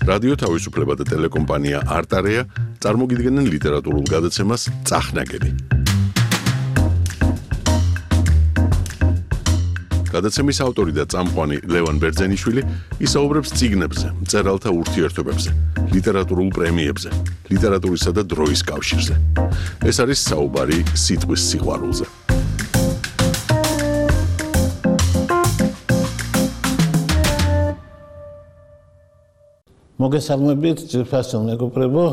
რადიო თავისუფლება და ტელეკომპანია არტარეა წარმოგიდგენენ ლიტერატურულ გადაცემას წახნაგები. გადაცემის ავტორი და წამყვანი ლევან ბერძენიშვილი ისაუბრებს წიგნებზე, მწერალთა ურთიერთობებზე, ლიტერატურულ პრემიებზე, ლიტერატურისა და დროის კავშირზე. ეს არის საუბარი სიტყვის სიყვარულზე. მოგესალმებით, ძვირფასო მეგობრებო,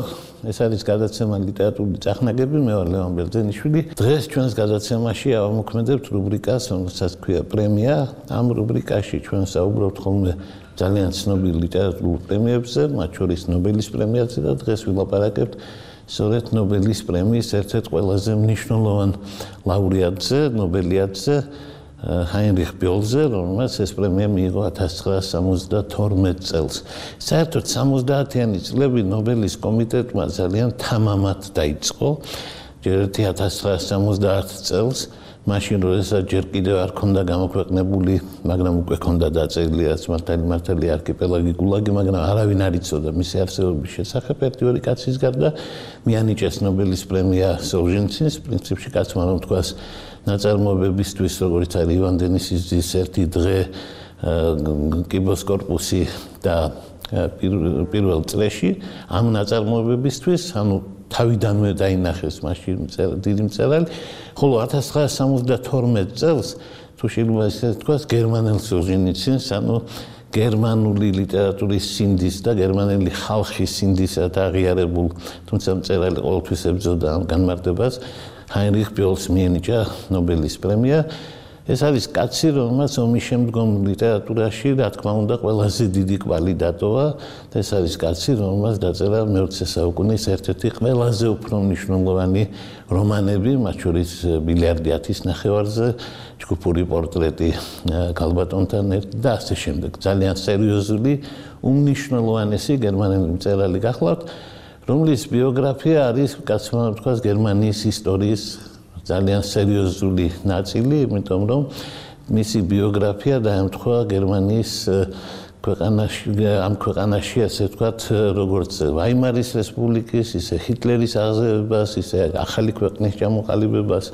ეს არის გადაცემა ლიტერატურული წახნაგები, მე ვარ ლევან ბერძენიშვილი. დღეს ჩვენს გადაცემაში ავამოქმედებთ რუბრიკას, რომელსაც ქვია პრემია. ამ რუბრიკაში ჩვენ საუბრობთ ხოლმე ძალიან ცნობილ ლიტერატურულ პრემიებზე, მათ შორის ნობელის პრემიაზე და დღეს ვილაპარაკებთ სწორედ ნობელის პრემიის ერთ-ერთ ყველაზე მნიშვნელოვან ლაურეატზე, ნობელიადზე, ჰაინრიხ ბიოლზე, რომელმაც ეს პრემია მიიღო 1972 წელს. საერთოდ 70-იანი წლები ნობელის კომიტეტმა ძალიან თამამად დაიწყო. ჯერ 1970 წელს, მაშინ როდესაც ჯერ კიდევ არ ქონდა გამოქვეყნებული, მაგრამ უკვე ქონდა დაწერილი რაც მართალი არქიპელაგი გულაგი, მაგრამ არავინ არ იცოდა მისი არსებობის შესახებ. ერთი-ორი კაცის გარდა მიანიჭეს ნობელის პრემია სოლჟენცინს, პრინციპში კაცმა რომ თქვას ნაწარმოებებისთვის, როგორც არის ივან დენისის ძის ერთი დღე, კიბოს კორპუსი და პირველ წრეში, ამ ნაწარმოებებისთვის, ანუ თავიდანვე დაინახეს მაშინ დიდი მწერალი, ხოლო 1972 წელს, თუ შეიძლება ისე თქვას, გერმანელ სოლჟენიცინს, ანუ გერმანული ლიტერატურის სინდის და გერმანელი ხალხის სინდისად აღიარებულ, თუმცა მწერალი ყოველთვის ებრძოდა ამ განმარტებას, ჰაინრიხ ბიოლს მიენიჭა ნობელის პრემია. ეს არის კაცი, რომელმაც ომის შემდგომ ლიტერატურაში, რა თქმა უნდა, ყველაზე დიდი კვალი დატოვა. ეს არის კაცი, რომელმაც დაწერა მე-20 საუკუნის ერთ-ერთი ყველაზე უფრო მნიშვნელოვანი რომანები, მათ შორის ბილიარდი 10-ის ნახევარზე, ჯგუფური პორტრეტი ქალბატონთან ერთად და ასე შემდეგ. ძალიან სერიოზული, უმნიშვნელოვანესი გერმანელი მწერალი გახლავთ, რომლის ბიოგრაფია არის, კაცმა თქვას, გერმანიის ისტორიის ძალიან სერიოზული ნაწილი, იმიტომ რომ მისი ბიოგრაფია დაემთხვა გერმანიის ამ ქვეყანაში, ასე ვთქვათ, როგორც ვაიმარის რესპუბლიკის, ისე ჰიტლერის აღზევებას, ისე ახალი ქვეყნის ჩამოყალიბებას.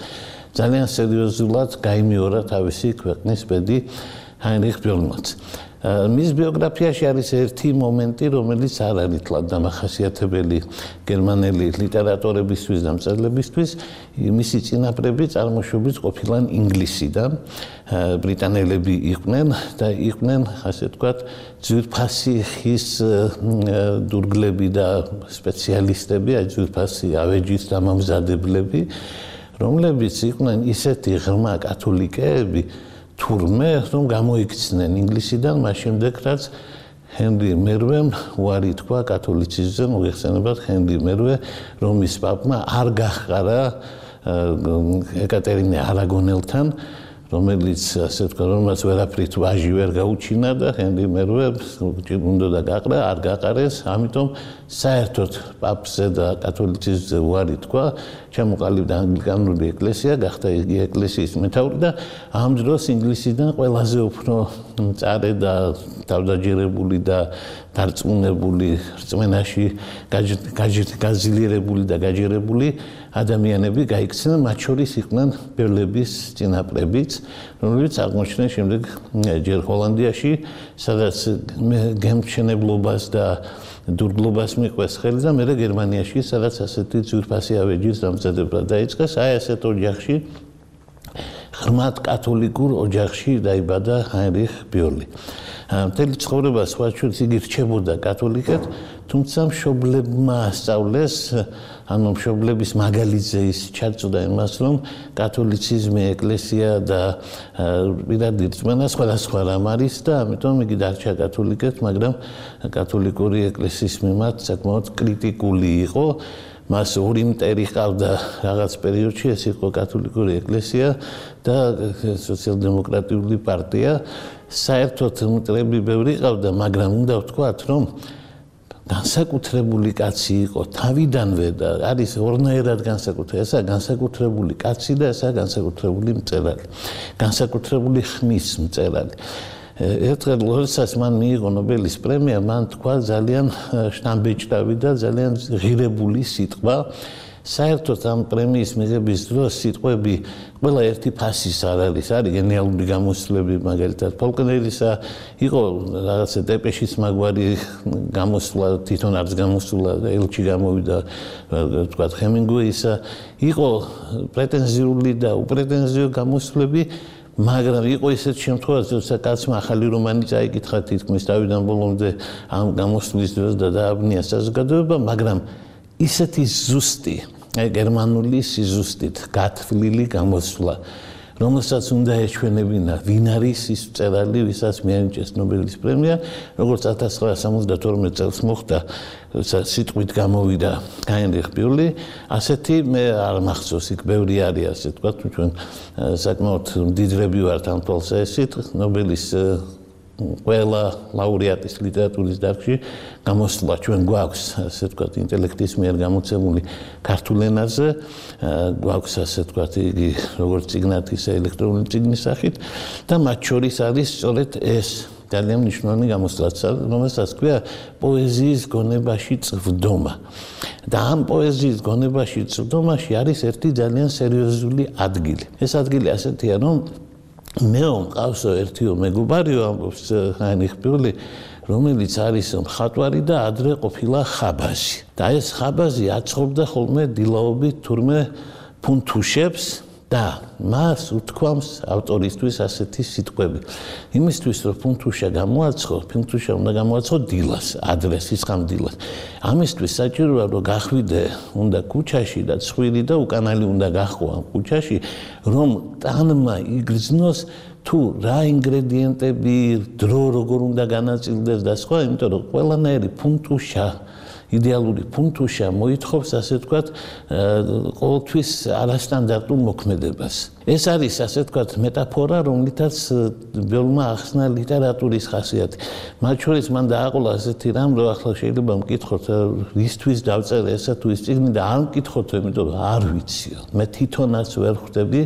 ძალიან სერიოზულად გაიმეორა თავისი ქვეყნის ბედი ჰაინრიხ ბიოლმაც. მის ბიოგრაფიაში არის ერთი მომენტი, რომელიც არ არის თლად დამახასიათებელი გერმანელი ლიტერატორებისთვის და მწერლებისთვის. მისი წინაპრები წარმოშობით ყოფილან ინგლისიდან, ბრიტანელები იყვნენ და იყვნენ, ასე ვთქვათ, ძვირფასი ხის დურგლები და სპეციალისტები, ძვირფასი ავეჯის დამამზადებლები, რომლებიც იყვნენ ისეთი ღრმა კათოლიკეები, თურმე, რომ გამოიქცნენ ინგლისიდან, მას შემდეგ რაც ჰენრი მერვემ უარი თქვა კათოლიციზმზე, მოგეხსენებათ ჰენრი მერვე, რომის პაპმა არ გაჰყარა ეკატერინე არაგონელთან, რომელიც ასე ვთქვა, რომელსაც ვერაფრით ვაჟი ვერ გაუჩინა და ჰენრი მერვე უნდა გაყრა, არ გაყარეს, ამიტომ საერთოდ პაპზე და კათოლიციზმზე უარი თქვა, ჩამოყალიბდა ანგლიკანური ეკლესია, გახდა იგი ეკლესიის მეთაური და ამ დროს ინგლისიდან ყველაზე უფრო მწარე და თავდაჯერებული და დარწმუნებული რწმენაში გაძლიერებული და გაჯერებული ადამიანები გაიქცნენ, მათ შორის იყვნენ ბერლების წინაპრებიც, რომლებიც აღმოჩნდნენ შემდეგ ჯერ ჰოლანდიაში, სადაც გემთმშენებლობას და დურგლობას მიყვეს ხელი და მერე გერმანიაში, სადაც ასეთი ძვირფასი ავეჯის დამზადება დაიწყეს. აი ასეთ ოჯახში, ღრმად კათოლიკურ ოჯახში დაიბადა ჰაინრიხ ბიოლი. მთელი ცხოვრება სხვა შორის იგი რჩებოდა კათოლიკად, თუმცა მშობლებმა ასწავლეს, ანუ მშობლების მაგალითზე ის ჩაწოდა იმას, რომ კათოლიციზმი, ეკლესია და პირადი რწმენა სხვადასხვა რამ არის და ამიტომ იგი დარჩა კათოლიკად, მაგრამ კათოლიკური ეკლესიის მიმართ საკმაოდ კრიტიკული იყო. მას ორი მტერი ჰყავდა რაღაც პერიოდში, ეს იყო კათოლიკური ეკლესია და სოციალ-დემოკრატიული პარტია. საერთოდ მტრები ბევრი ჰყავდა, მაგრამ უნდა ვთქვათ, რომ განსაკუთრებული კაცი იყო თავიდანვე და არის ორნაირად განსაკუთრებული. ესა განსაკუთრებული კაცი და ესა განსაკუთრებული მწერალი. განსაკუთრებული ხმის მწერალი. ერთხელ როდესაც მან მიიღო ნობელის პრემია, მან თქვა ძალიან შთამბეჭდავი და ძალიან ღირებული სიტყვა. საერთოდ ამ პრემიის მიღების დროს სიტყვები ყველა ერთი ფასის არ არის გენიალური გამოსვლები, მაგალითად ფოლკნერისა იყო რაღაცა დეპეშის მაგვარი გამოსვლა, თვითონ არც გამოსვლა, ელჩი გამოვიდა, თქვა ჰემინგუეისა, იყო პრეტენზიული და უპრეტენზიო გამოსვლები, მაგრამ იყო ისეთ შემთხვევაში, როცა კაცმა ახალი რომანი წაიკითხა თითქმის თავიდან ბოლომდე ამ გამოსვლის დროს და დააბნია საზოგადოება, მაგრამ ისეთი ზუსტი გერმანული სიზუსტით გათვლილი გამოსვლა, რომელსაც უნდა ეჩვენებინა ვინ არის ის მწერალი, ვისაც მიენიჭეს ნობელის პრემია, როგორც 1972 წელს მოხდა, როცა სიტყვით გამოვიდა ჰაინრიხ ბიურლი, ასეთი მე არ მახსოვს, იქ ბევრი არის ასე თქვა, ჩვენ საკმაოდ მდიდრები ვართ ამ თვალსაჩინით, ნობელის ყველა ლაურეატის ლიტერატურის დარგში გამოსვლა ჩვენ გვაქვს, ასე ვთქვათ, ინტელექტის მიერ გამოცემული ქართულ ენაზე, გვაქვს ასე ვთქვათ, იგი როგორც წიგნად, ისე ელექტრონული წიგნის სახით და მათ შორის არის სწორედ ეს ძალიან მნიშვნელოვანი გამოსვლა, რომელსაც ქვია პოეზიის გონებაში წვდომა. და ამ პოეზიის გონებაში წვდომაში არის ერთი ძალიან სერიოზული ადგილი. ეს ადგილი ასეთია, რომ მეო მყავსო ერთიო მეგობარიო ამბობს ჰაინრიხ ბიურლი, რომელიც არის მხატვარი და ადრე ყოფილა ხაბაზი. და ეს ხაბაზი აწყობდა ხოლმე დილაობით თურმე ფუნთუშებს და მას უთქვამს ავტორისთვის ასეთი სიტყვები. იმისთვის რომ ფუნთუშა გამოაცხო, ფუნთუშა უნდა გამოაცხო დილას, ადრე სიცხამ დილას. ამისთვის საჭიროა რომ გახვიდე უნდა ქუჩაში და ცხვირი და უკანალი უნდა გაჰყო ამ ქუჩაში, რომ ტანმა იგრძნოს თუ რა ინგრედიენტები, დრო როგორ უნდა განაწილდეს და სხვა, იმიტომ რომ ყველანაირი ფუნთუშა იდეალური ფუნთუშა მოითხოვს ასე ვთქვათ ყოველთვის არასტანდარტულ მოქმედებას. ეს არის ასე ვთქვათ მეტაფორა, რომლითაც ბიურლმა ახსნა ლიტერატურის ხასიათი. მათ შორის მან დააყოლა ასეთი რამ, რომ ახლა შეიძლება მკითხოთ, რისთვის დავწერე ესა თუ ის წიგნი და არ მკითხოთ, იმიტომ რომ არ ვიციო. მე თვითონაც ვერ ხვდები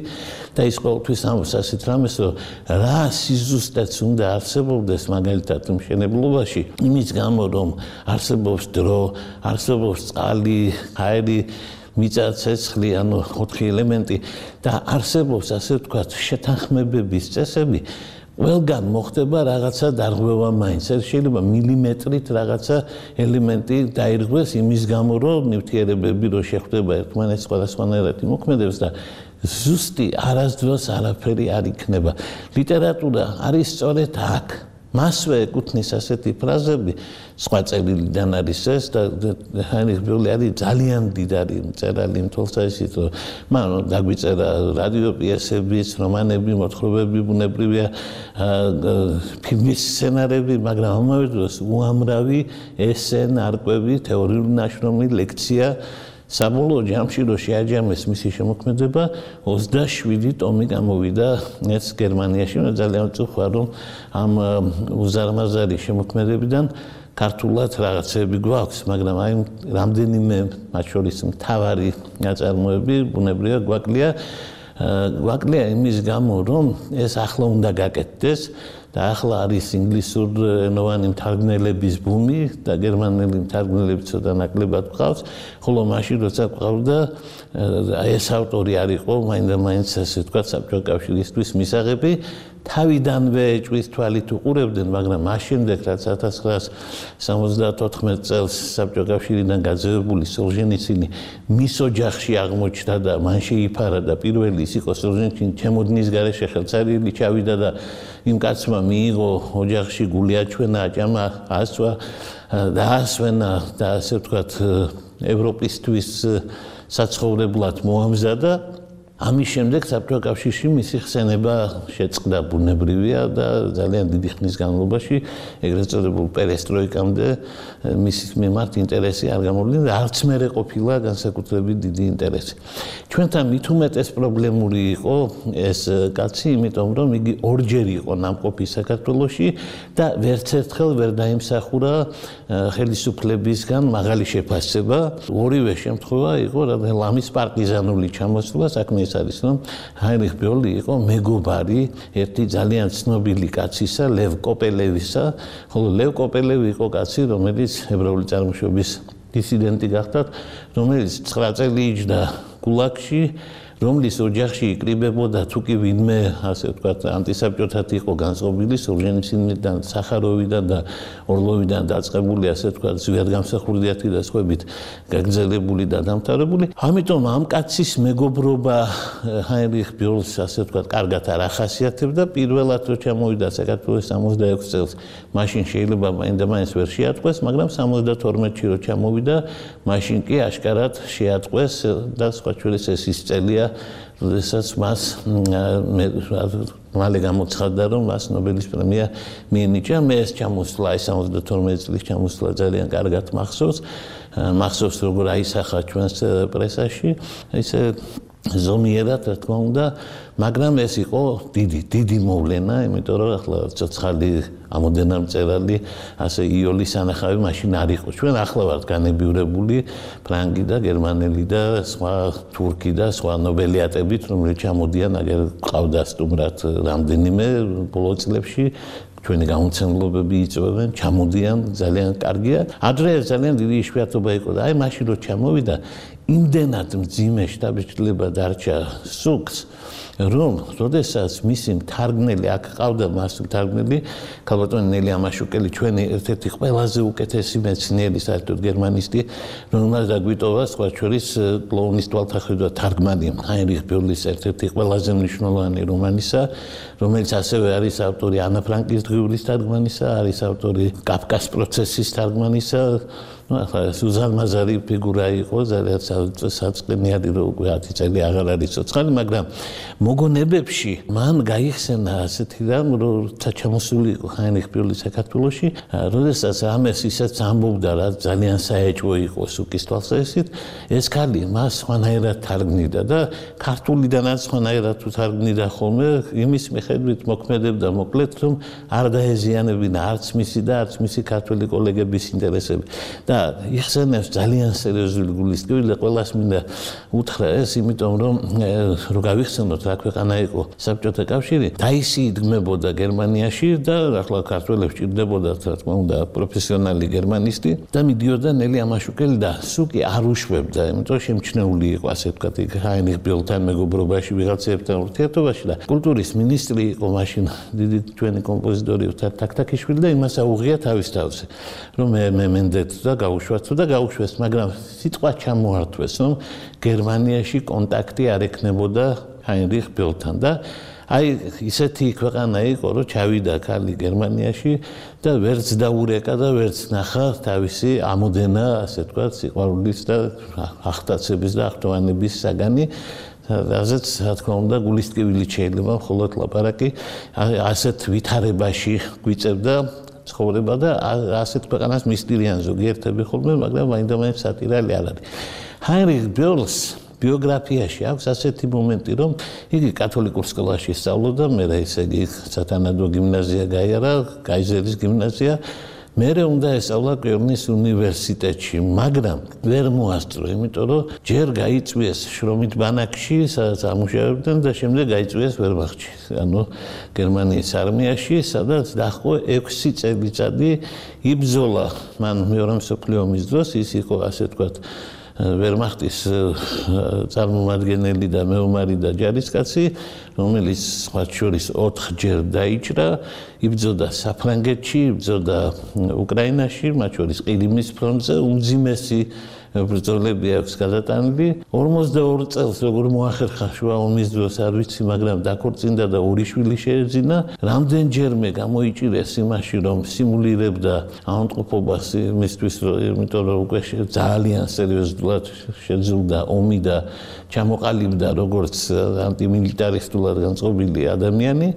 და ის ყოველთვის ამბობს ასეთ რამეს, რომ რა სიზუსტეც უნდა არსებობდეს მაგალითად მშენებლობაში, იმის გამო რომ არსებობს დრო, არსებობს წყალი, აირი, მიწა, ცეცხლი, ანუ 4 ელემენტი და არსებობს ასე ვთქვათ შეთანხმებების წესები, ყველგან მოხდება რაღაცა დარღვევა მაინც. შეიძლება მილიმეტრით რაღაცა ელემენტი დაირღვეს იმის გამო, რომ ნივთიერებები რო შეხვდება ერთმანეთს სხვადასხვანაირად იმოქმედებს და ზუსტი არასდროს არაფერი არ იქნება. ლიტერატურა არის სწორედ აქ. მასვე ეკუთვნის ასეთი ფრაზები, სხვა წერილიდან არის ეს და ჰაინრიხ ბიურლი არის ძალიან მდიდარი მწერალი იმ თვალსაჩინით, რომ მან დაგვიწერა რადიო პიესებიც, რომანები, მოთხრობები, ბუნებრივია, ფილმის სცენარები, მაგრამ ამავე დროს უამრავი ესე, ნარკვევი, თეორიული ნაშრომი, ლექცია. საბოლოო ჯამში რო შეაჯამეს მისი შემოქმედება 27 ტომი გამოვიდა ეს გერმანიაში. ძალიან ვწუხარ რომ ამ უზარმაზარი შემოქმედებიდან ქართულად რაღაცები გვაქვს, მაგრამ აი რამდენიმე მათ შორის მთავარი ნაწარმოები ბუნებრივია გვაკლია იმის გამო რომ ეს ახლა უნდა გაკეთდეს და ახლა არის ინგლისურენოვანი მთარგმნელების ბუმი და გერმანელი მთარგმნელები ცოტა ნაკლებად გვყავს, ხოლო მაშინ როცა გვყავდა ეს ავტორი არ იყო მაინდა-მაინც ასე ვთქვათ საბჭოთა კავშირისთვის მისაღები, თავიდანვე ეჭვის თვალით უყურებდნენ, მაგრამ მას შემდეგ რაც 1974 წელს საბჭოთა კავშირიდან გაძევებული სოლჟენიცინი მის ოჯახში აღმოჩნდა და მან შეიფარა და პირველი ის იყო სოლჟენიცინი ჩემოდნის გარეშე ხელცარიელი ჩავიდა და იმ კაცმა მიიღო ოჯახში გული აჩვენა, აჭამა, ასვა და ასვენა და ასე ვთქვათ ევროპისთვის საცხოვრებლად მოამზადა. ამის შემდეგ საბჭოთა კავშირში მისი ხსენება შეწყდა ბუნებრივია და ძალიან დიდი ხნის განმავლობაში ეგრეთ წოდებულ პერესტროიკამდე მის მიმართ ინტერესი არ გამოვლინდა და არც მერე ყოფილა განსაკუთრებით დიდი ინტერესი. ჩვენთან მით უმეტეს პრობლემური იყო ეს კაცი, იმიტომ რომ იგი ორჯერ იყო ნამყოფი საქართველოში და ვერც ერთხელ ვერ დაიმსახურა ხელისუფლებისგან მაღალი შეფასება. ორივე შემთხვევა იყო ლამის პარტიზანული ჩამოსვლა, საქმე ეს არის რომ ჰაინრიხ ბიოლი იყო მეგობარი ერთი ძალიან ცნობილი კაცისა ლევ კოპელევისა ხოლო ლევ კოპელევი იყო კაცი რომელიც ებრაული წარმოშობის დისიდენტი გახდა რომელიც 9 წელი იჯდა გულაგში რომლის ოჯახში იკრიბებოდა თუ კი ვინმე ასე ვთქვათ ანტისაბჭოთად იყო განწყობილი სოლჟენიცინიდან სახაროვიდან და ორლოვიდან დაწყებული ასე ვთქვათ ზვიადგამსახურდიათი და სხვებით გაგრძელებული და დამთავრებული ამიტომ ამ კაცის მეგობრობა ჰაინრიხ ბიოლს ასე ვთქვათ კარგად არ ახასიათებდა პირველად რო ჩამოვიდა საქართველოს 66 წელს მაშინ შეიძლება მაინდა-მაინც ვერ შეატყვეს მაგრამ 72-ში რო ჩამოვიდა მაშინ კი აშკარად შეატყვეს და სხვა შორის ეს ის წელია როდესაც მას მალე გამოცხადდა რომ მას ნობელის პრემია მიენიჭა მე ეს ჩამოსვლა 72 წლის ჩამოსვლა ძალიან კარგად მახსოვს როგორ აისახა ჩვენს პრესაში ისე ზომიერად რა თქმა უნდა მაგრამ ეს იყო დიდი მოვლენა იმიტომ რომ ახლა ცოცხალი ამოდენა მწერალი ასე იოლის ანახავი მაშინ არ იყო ჩვენ ახლა ვართ განებივრებული ფრანგი და გერმანელი და სხვა თურქი და სხვა ნობელიატებით რომლებიც ჩამოდიან აგერ ყავდა სტუმრად რამდენიმე ბოლო წლებში ჩვენი გამომცემლობები იწვევენ ჩამოდიან ძალიან კარგია ადრე ძალიან დიდი იშვიათობა იყო და აი მაშინ რო ჩამოვიდა იმდენად მძიმე შტაბ-შტილება დარჩა სუკს რომ როდესაც მისი მთარგმნელი აქ ყავდა მას მთარგმნელი ქალბატონი ნელი ამაშუკელი ჩვენი ერთ-ერთი ყველაზე უკეთესი მეცნიერი საერთოდ გერმანისტი რომელმაც დაგვიტოვა სხვა შორის კლოუნის თვალთახედვა თარგმანი ჰაინრიხ ბიოლის ერთ-ერთი ყველაზე მნიშვნელოვანი რომანისა რომელიც ასევე არის ავტორი ანა ფრანკის დღიურის თარგმანისა არის ავტორი კაფკას პროცესის თარგმანისა სუზან მაზარი ფიგურა იყო ძალიან საწყენიერი რო უკვე 10 წელი აღარ არის ცოცხალი მაგრამ მოგონებებში მან გაიხსენა ასეთი რამ როცა ჩამოსული იყო ჰაინრიხ ბიოლი საქართველოში როდესაც ამას ისაც ამბობდა რა ძალიან საეჭვო იყო სუკის თვალსაზრისით ეს ქალი მას სხვანაირად თარგმნიდა და ქართულიდანაც სხვანაირად თარგმნიდა ხოლმე იმის მიხედვით მოქმედებდა მოკლედ რომ არ დაეზიანებინა არც მისი და არც მისი ქართველი კოლეგების ინტერესები და იხსენებს ძალიან სერიოზული გულისკევი და ყველას მინდა უთხრა ეს იმიტომ რომ რო გავიხსენოთ რა ქვეყანა იყო საბჭოთა კავშირი დაისი იდგმებოდა გერმანიაში და ახლა ქართველებს ჭირდებოდა რა თქმა უნდა პროფესიონალი გერმანისტი და მიდიოდა ნელი ამაშუკელი და სუკი არ უშვებდა იმიტომ შემჩნეული იყო ასე ვთქვათ ჰაინრიხ ბიოლთან მეგობრობაში ვიღაცებთან ურთიერთობაში და კულტურის მინისტრი იყო მაშინ დიდი ჩვენი კომპოზიტორი თაქთაქიშვილი და იმას აუღია თავის თავზე რომ მე მენდეთ და გაუშვეს მაგრამ სიტყვა ჩამოართვეს რომ გერმანიაში კონტაქტი არ ექნებოდა ჰაინრიხ ბიოლთან და აი ისეთი ქვეყანა იყო რომ ჩავიდა ქალი გერმანიაში და ვერც დაურეკა და ვერც ნახა თავისი ამოდენა ასე ვთქვათ სიყვარულის და ახტაცების და ახტოვანების საგანი რაზეც რა თქმა უნდა გულისკევილი შეიძლება მხოლოდ ლაპარაკი ასეთ ვითარებაში გვიწევდა ცხოვრება და ასეთ ქვეყანას მისტირიან ზოგიერთები ხოლმე მაგრამ მაინდა-მაინც სატირალი არ არის ჰაინრიხ ბიოლს ბიოგრაფიაში აქვს ასეთი მომენტი რომ იგი კათოლიკურ სკოლაში სწავლობდა მე ესე იგი სათანადო გიმნაზია გაიარა გაიზერის გიმნაზია მერე უნდა ესწავლა კელნის უნივერსიტეტში მაგრამ ვერ მოასწრო იმიტომ რომ ჯერ გაიწვიეს შრომით ბანაკში სადაც ამუშავებდნენ და შემდეგ გაიწვიეს ვერმახტში ანუ გერმანიის არმიაში სადაც დაჰყო 6 წელიწადი იბრძოლა მან მეორე მსოფლიო ომის დროს ის იყო ასე ვთქვათ ვერმახტის წარმომადგენელი და მეომარი და ჯარისკაცი რომელიც სხვა შორის 4 ჯერ დაიჭრა იბრძოდა საფრანგეთში იბრძოდა უკრაინაში მათ შორის ყირიმის ფრონტზე უმძიმესი ბრძოლები აქვს გადატანილი 42 წელს როგორ მოახერხა შუა ომის დროს არ ვიცი მაგრამ დაქორწინდა და ორი შვილი შეეძინა რამდენჯერმე გამოიჭირეს იმაში რომ სიმულირებდა ავადმყოფობას იმისთვის იმიტომ რომ უკვე ძალიან სერიოზულად შეძლდა ომი და ჩამოყალიბდა როგორც ანტიმილიტარისტულად განწყობილი ადამიანი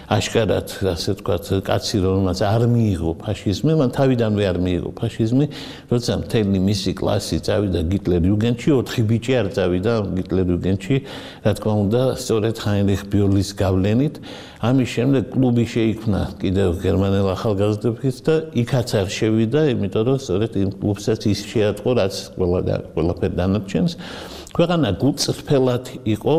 აშკარად ასე ვთქვათ კაცი რომელმაც არ მიიღო ფაშიზმი მან თავიდანვე არ მიიღო ფაშიზმი როცა მთელი მისი კლასი წავიდა გიტლერ-იუგენდში 4 ბიჭი არ წავიდა გიტლერ-იუგენდში რა თქმა უნდა სწორედ ჰაინრიხ ბიოლის გავლენით ამის შემდეგ კლუბი შეიქმნა კიდევ გერმანელ ახალგაზრდებს და იქაც არ შევიდა იმიტომ რომ სწორედ იმ კლუბსაც ის შეატყო რაც ყველაფერ დანარჩენს ქვეყანა გულწრფელად იყო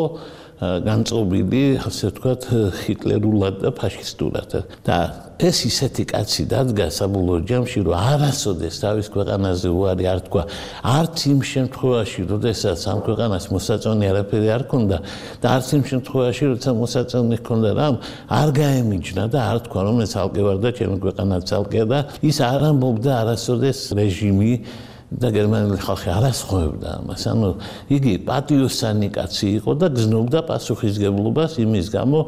განწყობილი, ასე ვთქვათ, ჰიტლერულად და ფაშისტურად. და ეს ისეთი კაცი დადგა საბოლოო ჯამში, რომ არასოდეს თავის ქვეყანაზე უარი არ თქვა, არც იმ შემთხვევაში, როდესაც ამ ქვეყანას მოსაწონი არაფერი არ ქონდა და არც იმ შემთხვევაში, როცა მოსაწონი ჰქონდა რამ, არ გაემიჯნა და არ თქვა, რომ ეს ცალკე ვარ და ჩემი ქვეყანა ცალკეა და ის არ ამბობდა არასოდეს რეჟიმი და გერმანელი ხალხი არ ასხოვებდა ამას. ანუ იგი პატიოსანი კაცი იყო და გზნობდა პასუხისგებლობას იმის გამო,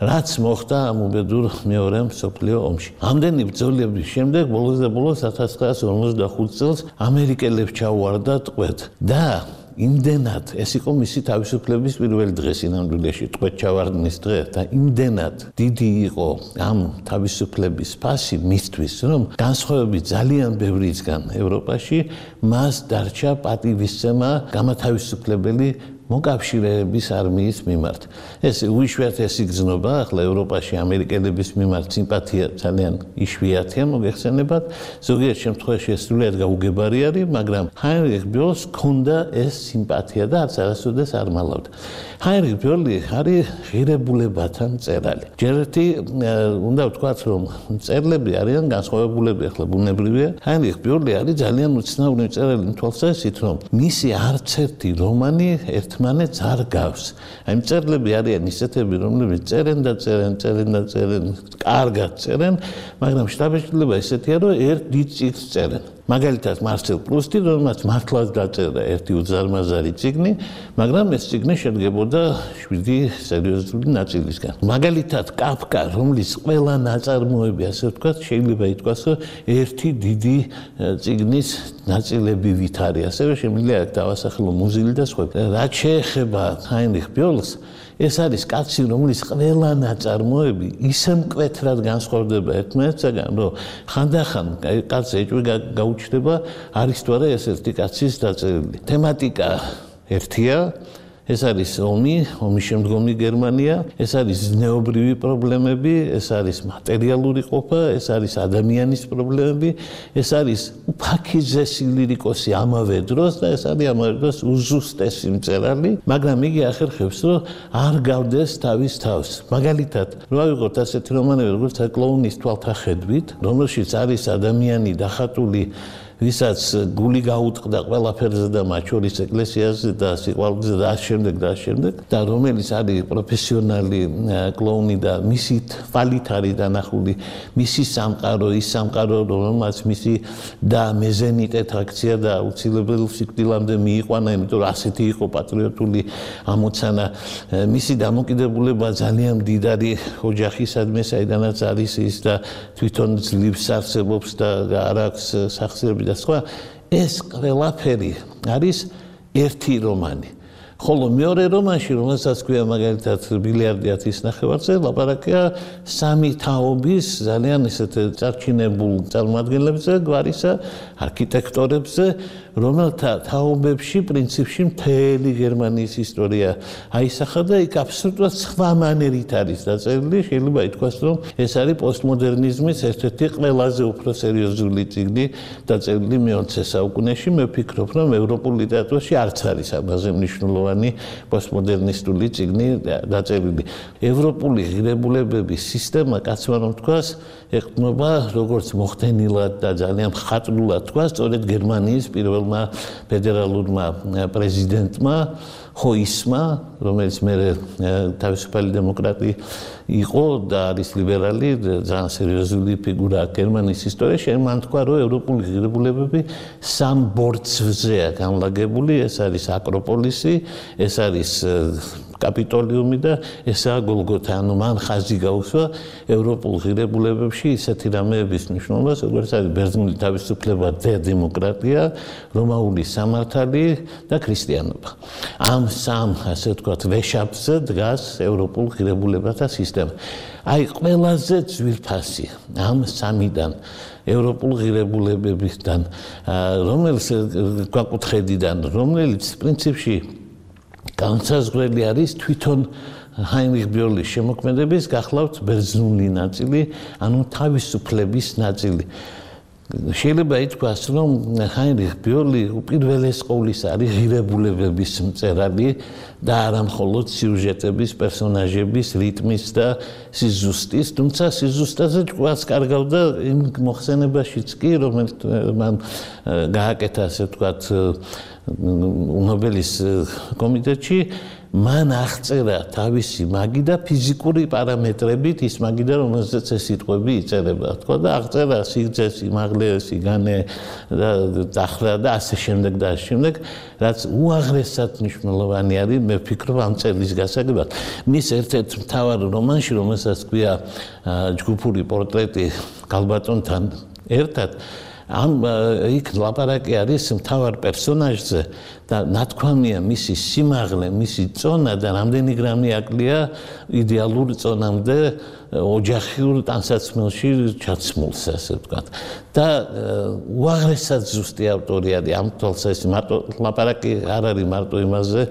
რაც მოხდა ამ უბედურ მეორე მსოფლიო ომში. ამდენი ბრძოლების შემდეგ ბოლოს და ბოლოს 1945 წელს ამერიკელებს ჩაუვარდა ტყვედ და იმდენად ეს იყო მისი თავისუფლების პირველი დღე სინამდვილეში, ტყვედ ჩავარდნის დღე და იმდენად დიდი იყო ამ თავისუფლების ფასი მისთვის, რომ განსხვავებით ძალიან ბევრისგან ევროპაში მას დარჩა პატივისცემა გამათავისუფლებელი მოკავშირეების არმიის მიმართ. ეს უიშვიათესი გზნობა, ახლა ევროპაში ამერიკელების მიმართ სიმპათია ძალიან იშვიათია მოგეხსენებათ, ზოგიერთ შემთხვევაში ეს სრულიად გაუგებარი არის, მაგრამ ჰაინრიხ ბიოლს ჰქონდა ეს სიმპათია და არც არასოდეს არ მალავდა. ჰაინრიხ ბიოლი არის ღირებულებათა მწერალი. ჯერ ერთი უნდა ვთქვათ, რომ მწერლები არიან განსხვავებულები, ახლა ბუნებრივია. ჰაინრიხ ბიოლი არის ძალიან უცნაური მწერალი იმ თვალსაზრისით, რომ მისი არც ერთი რომანი ერთმანეთს არ გავს. აი მწერლები არიან ისეთები, რომლებიც წერენ და წერენ, კარგად წერენ, მაგრამ შტაბეჭდილება ისეთია, რომ ერთ დიდ წიგნს წერენ. მაგალითად მარსელ პრუსტი, რომელმაც მართლაც დაწერა ერთი უზარმაზარი წიგნი, მაგრამ ეს წიგნი შედგებოდა 7 სერიოზული ნაწილისგან. მაგალითად კაფკა, რომლის ყველა ნაწარმოები, ასე ვთქვათ, შეიძლება ითქვას, რომ ერთი დიდი წიგნის ნაწილებივით არის. ასევე შემიძლია აქ დავასახელო მუზილი და სხვა. რაც შეეხება ჰაინრიხ ბიოლს, ეს არის კაცი, რომლის ყველა ნაწარმოები ისე მკვეთრად განსხვავდება ერთმანეთსაგან, რომ ხანდახან კაცი ეჭვი გაუჩნდება, არის თუ არა ეს ერთი კაცის დაწერილი. თემატიკა ერთია, ეს არის ომის შემდგომი გერმანია, ეს არის ზნეობრივი პრობლემები, ეს არის მატერიალური ყოფა, ეს არის ადამიანის პრობლემები, ეს არის უფაქიზესი ლირიკოსი ამავე დროს და ეს არის ამავე დროს უზუსტესი მწერალი, მაგრამ იგი ახერხებს, რომ არ გავდეს თავის თავს. მაგალითად, რო ავიღოთ ასეთი რომანები, როგორც კლოუნის თვალთახედვით, რომელშიც არის ადამიანი დახატული, ვისაც გული გაუტყდა ყველაფერზე და მათ შორის ეკლესიაზე და სიყვარულზე და ამ შემდეგ და რომელიც არის პროფესიონალი კლოუნი და მისი თვალით არის დანახული მისი სამყარო, ის სამყარო, რომელმაც მისი და მეზენიტეთ აქცია და აუცილებელ სიკვდილამდე მიიყვანა, იმიტომ რომ ასეთი იყო პატრიოტული ამოცანა. მისი დამოკიდებულება ძალიან მდიდარი ოჯახისადმი, საიდანაც არის ის და თვითონ ძლივს არსებობს და არ აქვს სახსრები და სხვა, ეს ყველაფერი არის ერთი რომანი. ხოლო მეორე რომანში, რომელსაც ქვია მაგალითად ბილიარდი 10.5-ზე, ლაპარაკია სამი თაობის ძალიან ესეთ წარჩინებულ წარმოადგენლებზე, გვარისა არქიტექტორებზე, რომელთა თაობებში პრინციპში მთელი გერმანიის ისტორია აისახა და იქ აბსოლუტურად სხვა მანერით არის დაწერილი. შეიძლება ითქვას, რომ ეს არის პოსტმოდერნიზმის ერთ-ერთი ყველაზე უფრო სერიოზული წიგნი დაწერილი მე-20 საუკუნეში. მე ვფიქრობ, რომ ევროპულ ლიტერატურაში არც არის ამაზე მნიშვნელოვანი პოსტმოდერნისტული წიგნი დაწერილი. ევროპული ღირებულებების სისტემა, კაცმა რომ თქვას, ეყრდნობა როგორც მოხდენილად და ძალიან მხატვრულად თქვას, სწორედ გერმანიის პირველმა ფედერალურმა პრეზიდენტმა ჰოისმა, რომელიც მერე თავისუფალი დემოკრატი იყო და არის ლიბერალი, ძალიან სერიოზული ფიგურა გერმანიის ისტორიაში, მან თქვა, რომ ევროპული ღირებულებები სამ ბორცვზეა განლაგებული, ეს არის აკროპოლისი, ეს არის კაპიტოლიუმი და ესაა გოლგოთა. ანუ მან ხაზი გაუსვა ევროპულ ღირებულებებში ისეთი რამეების მნიშვნელობას, როგორც არის ბერძნული თავისუფლება და დემოკრატია, რომაული სამართალი და ქრისტიანობა. ამ სამ, ასე ვთქვათ, ვეშაპზე დგას ევროპულ ღირებულებათა სისტემა. აი, ყველაზე ძვირფასი ამ სამიდან ევროპულ ღირებულებებისგან, რომელიც გვაკუთხედიდან, რომელიც პრინციპში განსაზღვრელი არის თვითონ ჰაინრიხ ბიოლის შემოქმედების, გახლავთ ბერძნული ნაწილი, ანუ თავისუფლების ნაწილი. შეიძლება ითქვას, რომ ჰაინრიხ ბიოლი უპირველეს ყოვლის არის ღირებულებების მწერალი და არა მხოლოდ სიუჟეტების, პერსონაჟების, რიტმის და სიზუსტის, თუმცა სიზუსტაზე ჭკუას კარგავდა იმ მოხსენებაშიც კი, რომელიც მან გააკეთა, ასე ვთქვათ, ნობელის კომიტეტში, მან აღწერა თავისი მაგიდა ფიზიკური პარამეტრებით, ის მაგიდა, რომელზეც ეს სიტყვები იწერება, თქო და აღწერა სიგრძე, სიმაღლე, სიგანე და დახრა და ასე შემდეგ და ასე შემდეგ, რაც უაღრესად მნიშვნელოვანი არის, მე ვფიქრობ ამ წერის გასაგებად. მის ერთ-ერთ მთავარ რომანში, რომელსაც ქვია ჯგუფური პორტრეტი ქალბატონთან ერთად, იქ ლაპარაკი არის მთავარ პერსონაჟზე და ნათქვამია მისი სიმაღლე, მისი წონა და რამდენი გრამი აკლია იდეალურ წონამდე ოჯახურ ტანსაცმელში ჩაცმულს, ასე ვთქვათ. და უაღრესად ზუსტი ავტორი არის ამ თვალსაზრისით, მარტო ლაპარაკი არ არის მარტო იმაზე,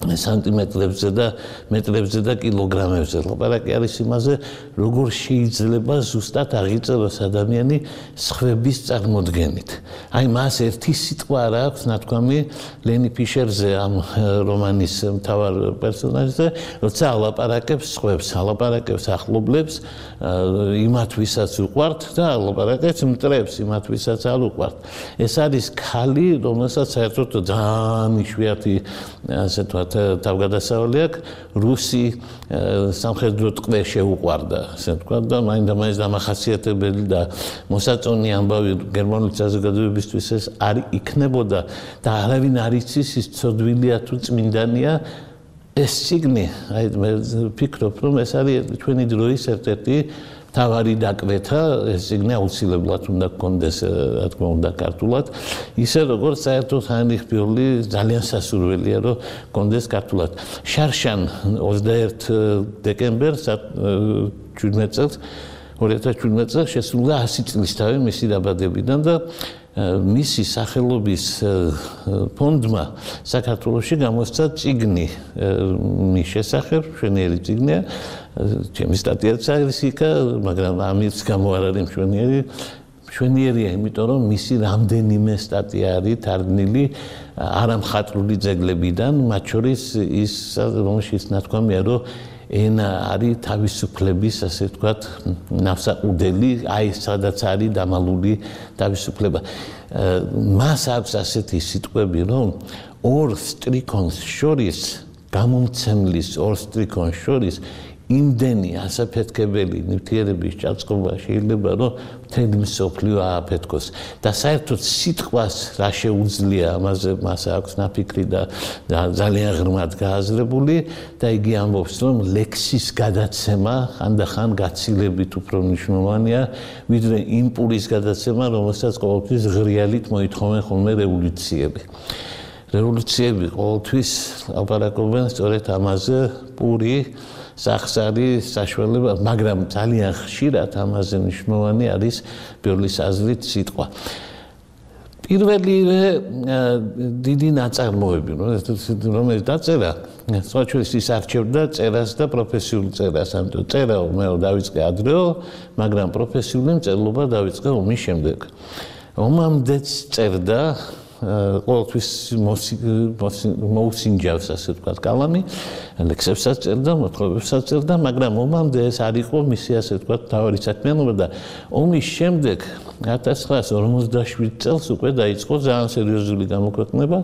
სანტიმეტრებზე და მეტრებზე და კილოგრამებზე. ლაპარაკი არის იმაზე, როგორ შეიძლება ზუსტად აღიწეროს ადამიანი სხვების წარმოდგენით. აი მას ერთი სიტყვა არ აქვს ნათქვამი ლენი ფიშერზე, ამ რომანის მთავარ პერსონაჟზე, როცა ალაპარაკებს სხვებს, ალაპარაკებს ახლობლებს, იმათ ვისაც უყვართ და ალაპარაკებს მტრებს, იმათ ვისაც არ უყვართ. ეს არის ქალი, რომელსაც საერთოდ ძალიან იშვიათი, ასე ვთქვათ, თავგადასავალი აქვს, რუსი სამხედრო ტყვე შეუყვარდა, ასე ვთქვათ და მაინდა-მაინც დამახასიათებელი და მოსაწონი ამბავი გერმანული საზოგადოებისთვის ეს არ იქნებოდა და არავინ არ იცის ის ცოდვილია თუ წმინდანია. ეს წიგნი, აი მე ვფიქრობ, რომ ეს არის ჩვენი დროის ერთ-ერთი მთავარი დაკვეთა, ეს წიგნი აუცილებლად უნდა გქონდეს, რა თქმა უნდა, ქართულად, ისე როგორც საერთოდ ჰაინრიხ ბიოლი ძალიან სასურველია, რომ გქონდეს ქართულად. შარშან 21 დეკემბერს 2017 წელს შესრულდა 100 წლისთავი მისი დაბადებიდან და მისი სახელობის ფონდმა საქართველოში გამოსცა წიგნი მის შესახებ, მშვენიერი წიგნია, ჩემი სტატიაც არის იქ, მაგრამ ამის გამო არ არის მშვენიერია, იმიტომ რომ მისი რამდენიმე სტატია არის თარგმნილი არა მხატვრული ძეგლებიდან, მათ შორის ის, რომელშიც ნათქვამია, რომ ენა არის თავისუფლების, ასე ვთქვათ, ნავსაყუდელი, აი სადაც არის დამალული თავისუფლება. მას აქვს ასეთი სიტყვები, რომ ორ სტრიქონს შორის, გამომცემლის ორ სტრიქონს შორის იმდენი ასაფეთქებელი ნივთიერების ჭაწყობა შეიძლება, რომ მთელი მსოფლიო ააფეთქოს. და საერთოდ სიტყვას რა შეუძლია, ამაზე მას აქვს ნაფიქრი და ძალიან ღრმად გააზრებული და იგი ამბობს, რომ ლექსის გადაცემა ხანდახან გაცილებით უფრო მნიშვნელოვანია, ვიდრე იმპულის გადაცემა, რომელსაც ყოველთვის ღრიალით მოითხოვენ ხოლმე რევოლუციები. რევოლუციები ყოველთვის ლაპარაკობენ სწორედ ამაზე, პური სახსარი საშუალება, მაგრამ ძალიან ხშირად ამაზე მნიშვნელოვანი არის ბიოლის აზრით სიტყვა. პირველივე დიდი ნაწარმოები, რომელიც დაწერა, სწორედ ის არჩევდა წერას და პროფესიულ წერას, ამიტომ წერა მე დავიწყე ადრეო, მაგრამ პროფესიული მწერლობა დავიწყე ომის შემდეგ. ომამდეც წერდა ყოველთვის მოუსინჯავს, ასე ვთქვათ, კალამი, ლექსებსაც წერდა, მოთხრობებსაც წერდა, მაგრამ ომამდე ეს არ იყო მისი, ასე ვთქვათ, მთავარი საქმიანობა და ომის შემდეგ 1947 წელს უკვე დაიწყო ძალიან სერიოზული გამოქვეყნება,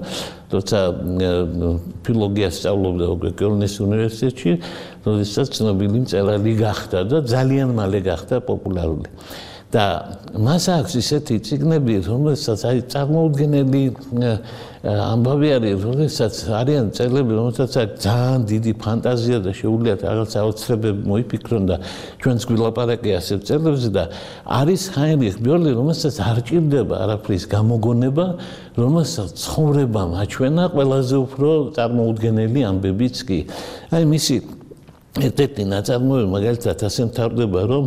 როცა ფილოლოგიას სწავლობდა უკვე კელნის უნივერსიტეტში, როდესაც ცნობილი მწერალი გახდა და ძალიან მალე გახდა პოპულარული. და მას აქვს ისეთი წიგნები, რომელსაც აი წარმოუდგენელი ამბავი არის, როდესაც არიან წერლები, რომელსაც ძალიან დიდი ფანტაზია და შეუძლიათ რაღაც აუცილებლად მოიფიქრონ და ჩვენს გვილაპარაკი ასეთ წერლებზე და არის ჰაინრიხ ბიოლი, რომელსაც არ ჭირდება არაფრის გამოგონება, რომელსაც ცხოვრებამ აჩვენა ყველაზე უფრო წარმოუდგენელი ამბებიც კი. აი მისი ერთ-ერთი ნაწარმოები მაგალითად ასე მთავრდება, რომ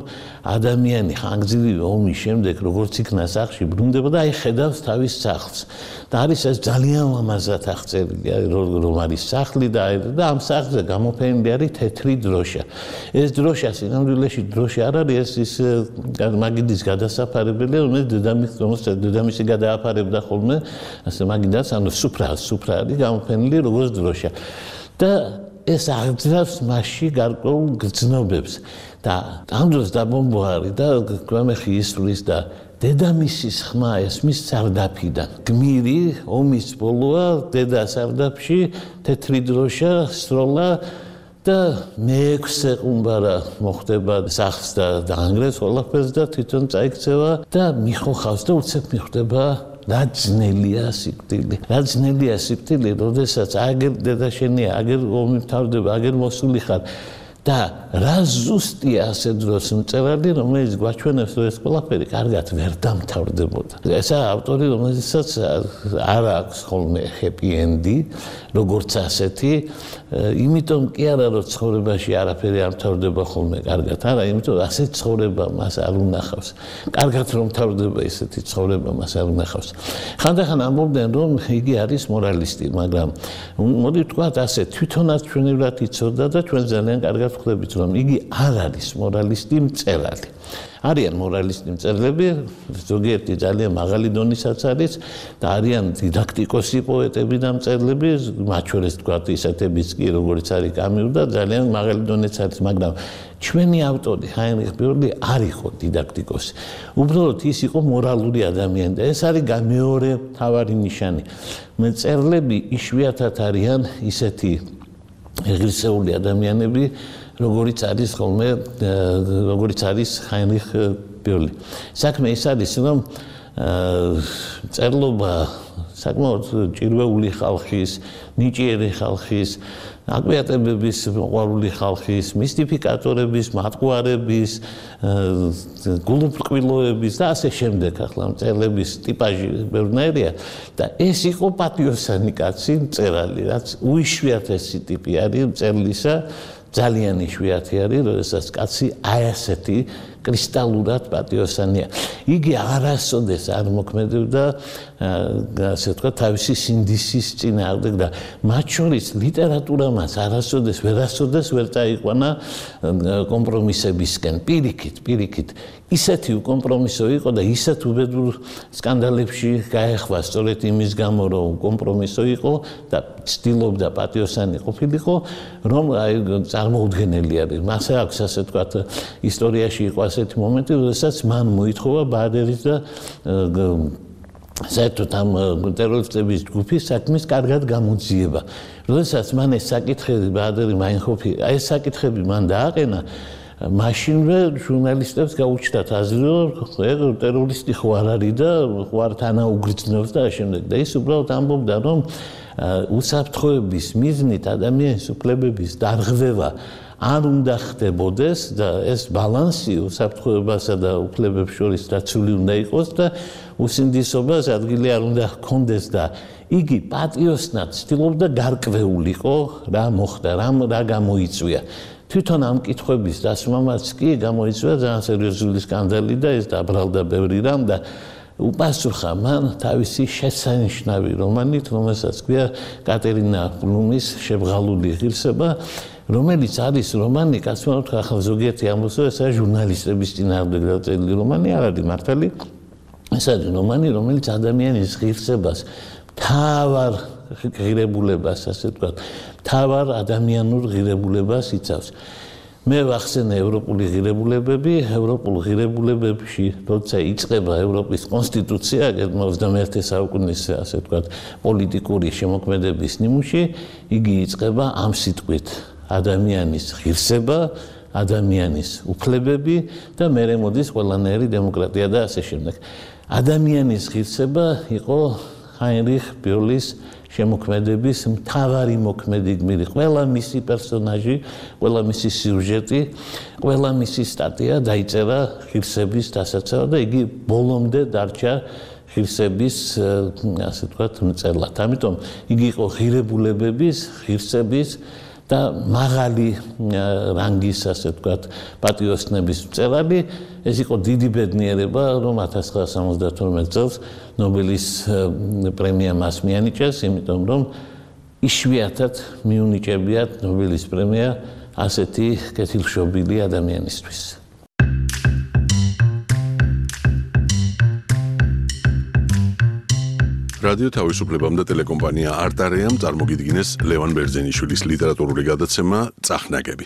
ადამიანი ხანგრძლივი ომის შემდეგ როგორც იქნა სახლში ბრუნდება და აი ხედავს თავის სახლს. და არის ეს ძალიან ლამაზად აღწერილი, რომ არის სახლი და ამ სახლზე გამოფენილი არის თეთრი დროშა. ეს დროშა სინამდვილეში დროშა არ არის, ეს მაგიდის გადასაფარებელი, რომელიც დედამისი გადააფარებდა ხოლმე, ასე მაგიდას, ანუ სუფრა არის გამოფენილი როგორც დროშა. და ეს აღძრავს მასში გარკვეულ გრძნობებს და ამ დროს დაბომბვა არის და გვამეხი ისვრის და დედამისის ხმა ესმის სარდაფიდან. გმირი ომის ბოლოა დედა სარდაფში თეთრი დროშა სროლა და მეექვსე ყუმბარა მოხდება სახლს და დაანგრევს ყველაფერს და თვითონ წაიქცევა და მიხოხავს და უცებ მიხვდება რა ძნელია სიკვდილი, როდესაც აგერ დედა შენია, აგერ ომი მთავრდება, აგერ მოსული ხარ და რა ზუსტია ასე დროს მწერალი, რომელიც გვაჩვენებს, რომ ეს ყველაფერი კარგად ვერ დამთავრდებოდა. ესა ავტორი, რომელსაც არ აქვს ხოლმე happy end-ი, როგორც ასეთი, იმიტომ კი არა, რომ ცხოვრებაში არაფერი არ მთავრდება ხოლმე კარგად, არა, იმიტომ ასე ცხოვრება მას არ უნახავს. კარგად რომ მთავრდება ესეთი ცხოვრება მას არ უნახავს. ხანდახან ამბობდნენ, რომ იგი არის მორალისტი, მაგრამ მოდი ვთქვათ ასე, თვითონაც ჩვენივრად იცოდა და ჩვენ ძალიან კარგად ვხვდებით, რომ იგი არ არის მორალისტი მწერალი. არიან მორალისტი მწერლები, ზოგიერთი ძალიან მაღალი დონისაც არის და არიან დიდაქტიკოსი პოეტები და მწერლები, მათ შორის ვთქვათ ისეთებიც კი, როგორც არის კამიუ და ძალიან მაღალი დონეც არის, მაგრამ ჩვენი ავტორი ჰაინრიხ ბერლი არ იყო დიდაქტიკოსი. უბრალოდ ის იყო მორალური ადამიანი და ეს არის მეორე მთავარი ნიშანი. მწერლები იშვიათად არიან ისეთი ღირსეული ადამიანები, როგორც არის ხოლმე, როგორც არის ჰაინრიხ ბერლი. საქმე ის არის, რომ წერლობა საკმაოდ ჭირვეული ხალხის, ნიჭიერი ხალხის, აკვიატებების მოყვარული ხალხის, მისტიფიკატორების, მატყუარების, გულუბრყვილოების და ასე შემდეგ, ახლა მწერლების ტიპაჟი ბევრნაირია და ეს იყო პატიოსანი კაცი მწერალი, რაც უიშვიათესი ტიპი არის მწერლისა. ძალიან იშვიათი არის, როდესაც კაცი აი ასეთი კრისტალურად პატიოსანია. იგი არასოდეს არ მოქმედებდა, ასე ვთქვათ, თავისი სინდისის წინააღმდეგ და მათ შორის ლიტერატურა მას არასოდეს ვერ წაიყვანა კომპრომისებისკენ. პირიქით. ისეთი უკომპრომისო იყო და ისეთ უბედურ სკანდალებში გაეხვა სწორედ იმის გამო, რომ კომპრომისო იყო და ცდილობდა პატიოსანი ყოფილიყო, რომ აი წარმოუდგენელი არის. მასე აქვს ასე ვთქვათ, ისტორიაში იყო ასეთი მომენტი, როდესაც მან მოითხოვა ბაადერის და საერთოდ ამ ტერორისტების ჯგუფის საქმის კარგად გამოძიება. როდესაც მან ეს საკითხები ბაადერი მაინჰოფი, აი ეს საკითხები მან დააყენა, მაშინვე ჟურნალისტებს გაუჩნდათ აზრი, რომ ტერორისტი ხო არ არის და ხო არ თანაუგრძნობს და შემდეგ. და ის უბრალოდ ამბობდა, რომ უსაფრთხოების მიზნით ადამიანის უფლებების დარღვევა არ უნდა ხდებოდეს და ეს ბალანსი უსაფრთხოებასა და უფლებებს შორის დაცული უნდა იყოს და უსინდისობას ადგილი არ უნდა ჰქონდეს და იგი პატიოსნად ცდილობდა გარკვეულიყო რა მოხდა, რა გამოიწვია. თვითონ ამ კითხვების დასმამაც კი გამოიწვია ძალიან სერიოზული სკანდალი და ეს დაბრალდა ბევრი რამ და უპასუხა მან თავისი შესანიშნავი რომანით, რომელსაც ქვია კატერინა ბლუმის შებრალული ღირსება, რომელიც არის რომანი, კაცმა უთხრა, ახლა ზოგიერთი ამბობს, რომ ეს არის ჟურნალისტების წინააღმდეგ დაწერილი რომანი, არ არის მართალი. ეს არის რომანი, რომელიც ადამიანის ღირსებას, მთავარ ღირებულებას, ასე ვთქვათ, მთავარ ადამიანურ ღირებულებას იცავს. მე ვახსენე ევროპული ღირებულებები, ევროპულ ღირებულებებში, როცა იწყება ევროპის კონსტიტუცია, 21 საუკუნის, ასე ვთქვათ, პოლიტიკური შემოქმედების ნიმუში, იგი იწყება ამ სიტყვით: ადამიანის ღირსება, ადამიანის უფლებები და მერე მოდის ყველანაირი დემოკრატია და ასე შემდეგ. ადამიანის ღირსება იყო ჰაინრიხ ბერლის შემოქმედების მთავარი მოქმედი გმირი. ყველა მისი პერსონაჟი, ყველა მისი სიუჟეტი, ყველა მისი სტატია დაიწერა ღირსების დასაცავად და იგი ბოლომდე დარჩა ღირსების, ასე ვთქვათ, მწერლად. ამიტომ იგი იყო ღირებულებების, ღირსების და მაღალი რანგის, ასე ვთქვათ, პატიოსნების მწერალი. ეს იყო დიდი ბედნიერება, რომ 1972 წელს ნობელის პრემია მას მიანიჭეს, იმიტომ რომ იშვიათად მიუნიჭებიათ ნობელის პრემია ასეთი კეთილშობილი ადამიანისთვის. რადიო თავისუფლებამ და ტელეკომპანია არტარეამ წარმოგიდგინეს ლევან ბერძენიშვილის ლიტერატურული გადაცემა წახნაგები.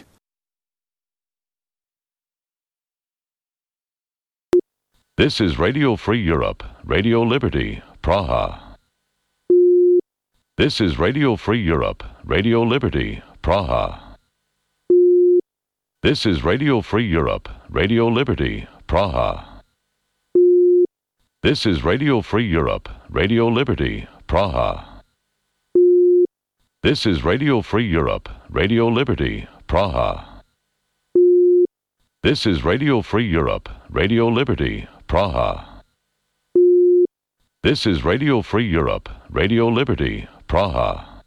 This is Radio Free Europe, Radio Liberty, Praha. This is Radio Free Europe, Radio Liberty, Praha. This is Radio Free Europe, Radio Liberty, Praha. This is Radio Free Europe, Radio Liberty, Praha. This is Radio Free Europe, Radio Liberty, Praha. This is Radio Free Europe, Radio Liberty, Praha. This is Radio Free Europe, Radio Liberty, Praha.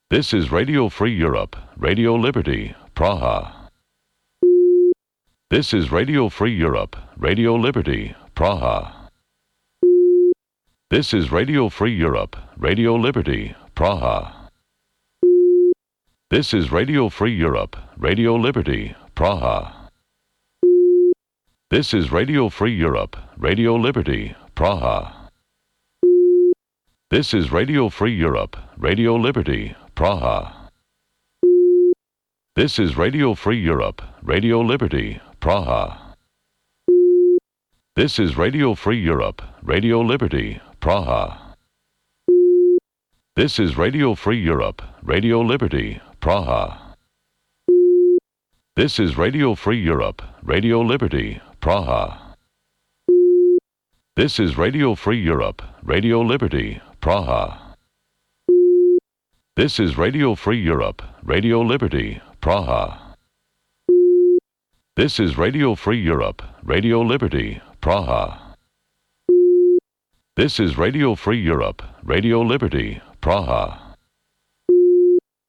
This is Radio Free Europe, Radio Liberty, Praha. This is Radio Free Europe, Radio Liberty, Praha. This is Radio Free Europe, Radio Liberty, Praha. This is Radio Free Europe, Radio Liberty, Praha. This is Radio Free Europe, Radio Liberty, Praha. This is Radio Free Europe, Radio Liberty, Praha. This is Radio Free Europe, Radio Liberty, Praha. This is Radio Free Europe, Radio Liberty, Praha. This is Radio Free Europe, Radio Liberty, Praha. This is Radio Free Europe, Radio Liberty, Praha. This is Radio Free Europe, Radio Liberty, Praha. This is Radio Free Europe, Radio Liberty, Praha. This is Radio Free Europe, Radio Liberty, Praha. This is Radio Free Europe, Radio Liberty, Praha.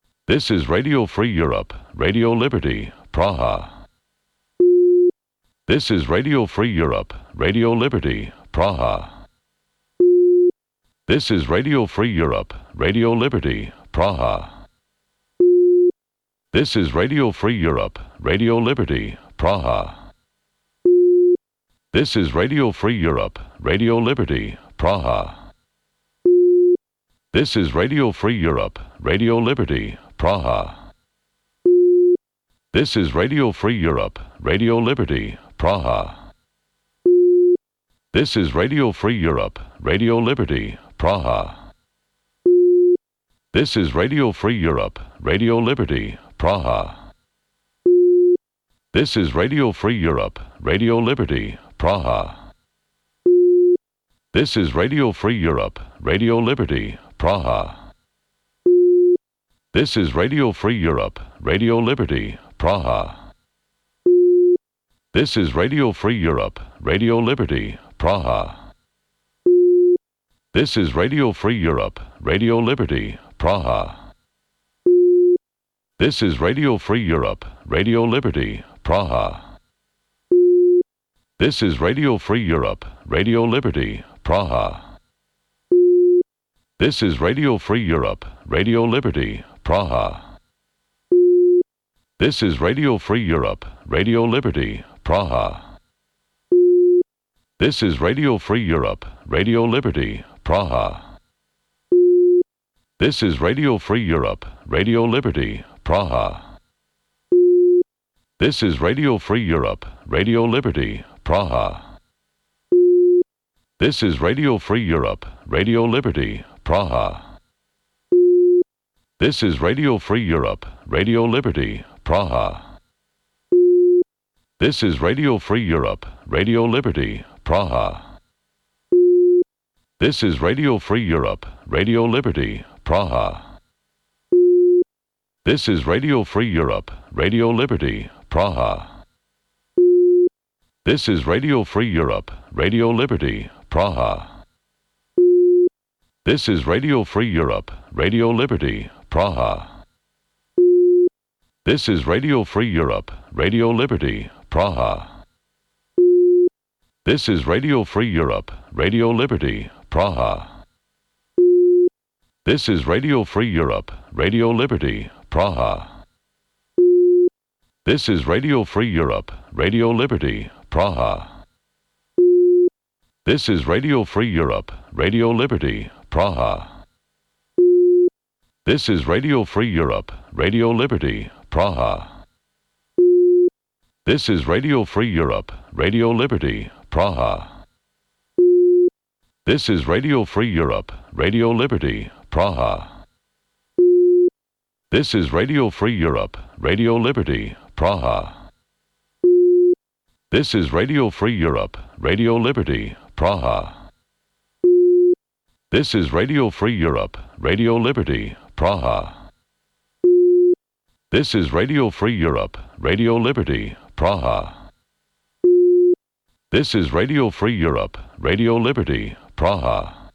This is Radio Free Europe, Radio Liberty, Praha. This is Radio Free Europe, Radio Liberty, Praha. This is Radio Free Europe, Radio Liberty, Praha. This is Radio Free Europe, Radio Liberty, Praha. This is Radio Free Europe, Radio Liberty, Praha. This is Radio Free Europe, Radio Liberty, Praha. This is Radio Free Europe, Radio Liberty, Praha. This is Radio Free Europe, Radio Liberty, Praha. This is Radio Free Europe, Radio Liberty, Praha. This is Radio Free Europe, Radio Liberty, Praha. This is Radio Free Europe, Radio Liberty, Praha. This is Radio Free Europe, Radio Liberty, Praha. This is Radio Free Europe, Radio Liberty, Praha. This is Radio Free Europe, Radio Liberty, Praha. This is Radio Free Europe, Radio Liberty, Praha. This is Radio Free Europe, Radio Liberty, Praha. This is Radio Free Europe, Radio Liberty, Praha. This is Radio Free Europe, Radio Liberty, Praha. This is Radio Free Europe, Radio Liberty, Praha. This is Radio Free Europe, Radio Liberty, Praha. This is Radio Free Europe, Radio Liberty, Praha. This is Radio Free Europe, Radio Liberty, Praha. This is Radio Free Europe, Radio Liberty, Praha. This is Radio Free Europe, Radio Liberty, Praha. This is Radio Free Europe, Radio Liberty, Praha. This is Radio Free Europe, Radio Liberty, Praha. This is Radio Free Europe, Radio Liberty, Praha. This is Radio Free Europe, Radio Liberty, Praha. This is Radio Free Europe, Radio Liberty, Praha. This is Radio Free Europe, Radio Liberty, Praha. This is Radio Free Europe, Radio Liberty, Praha. This is Radio Free Europe, Radio Liberty, Praha. This is Radio Free Europe, Radio Liberty, Praha. This is Radio Free Europe, Radio Liberty, Praha. This is Radio Free Europe, Radio Liberty, Praha. This is Radio Free Europe, Radio Liberty, Praha. This is Radio Free Europe, Radio Liberty, Praha. This is Radio Free Europe, Radio Liberty, Praha. This is Radio Free Europe, Radio Liberty, Praha. This is Radio Free Europe, Radio Liberty, Praha. This is Radio Free Europe, Radio Liberty, Praha.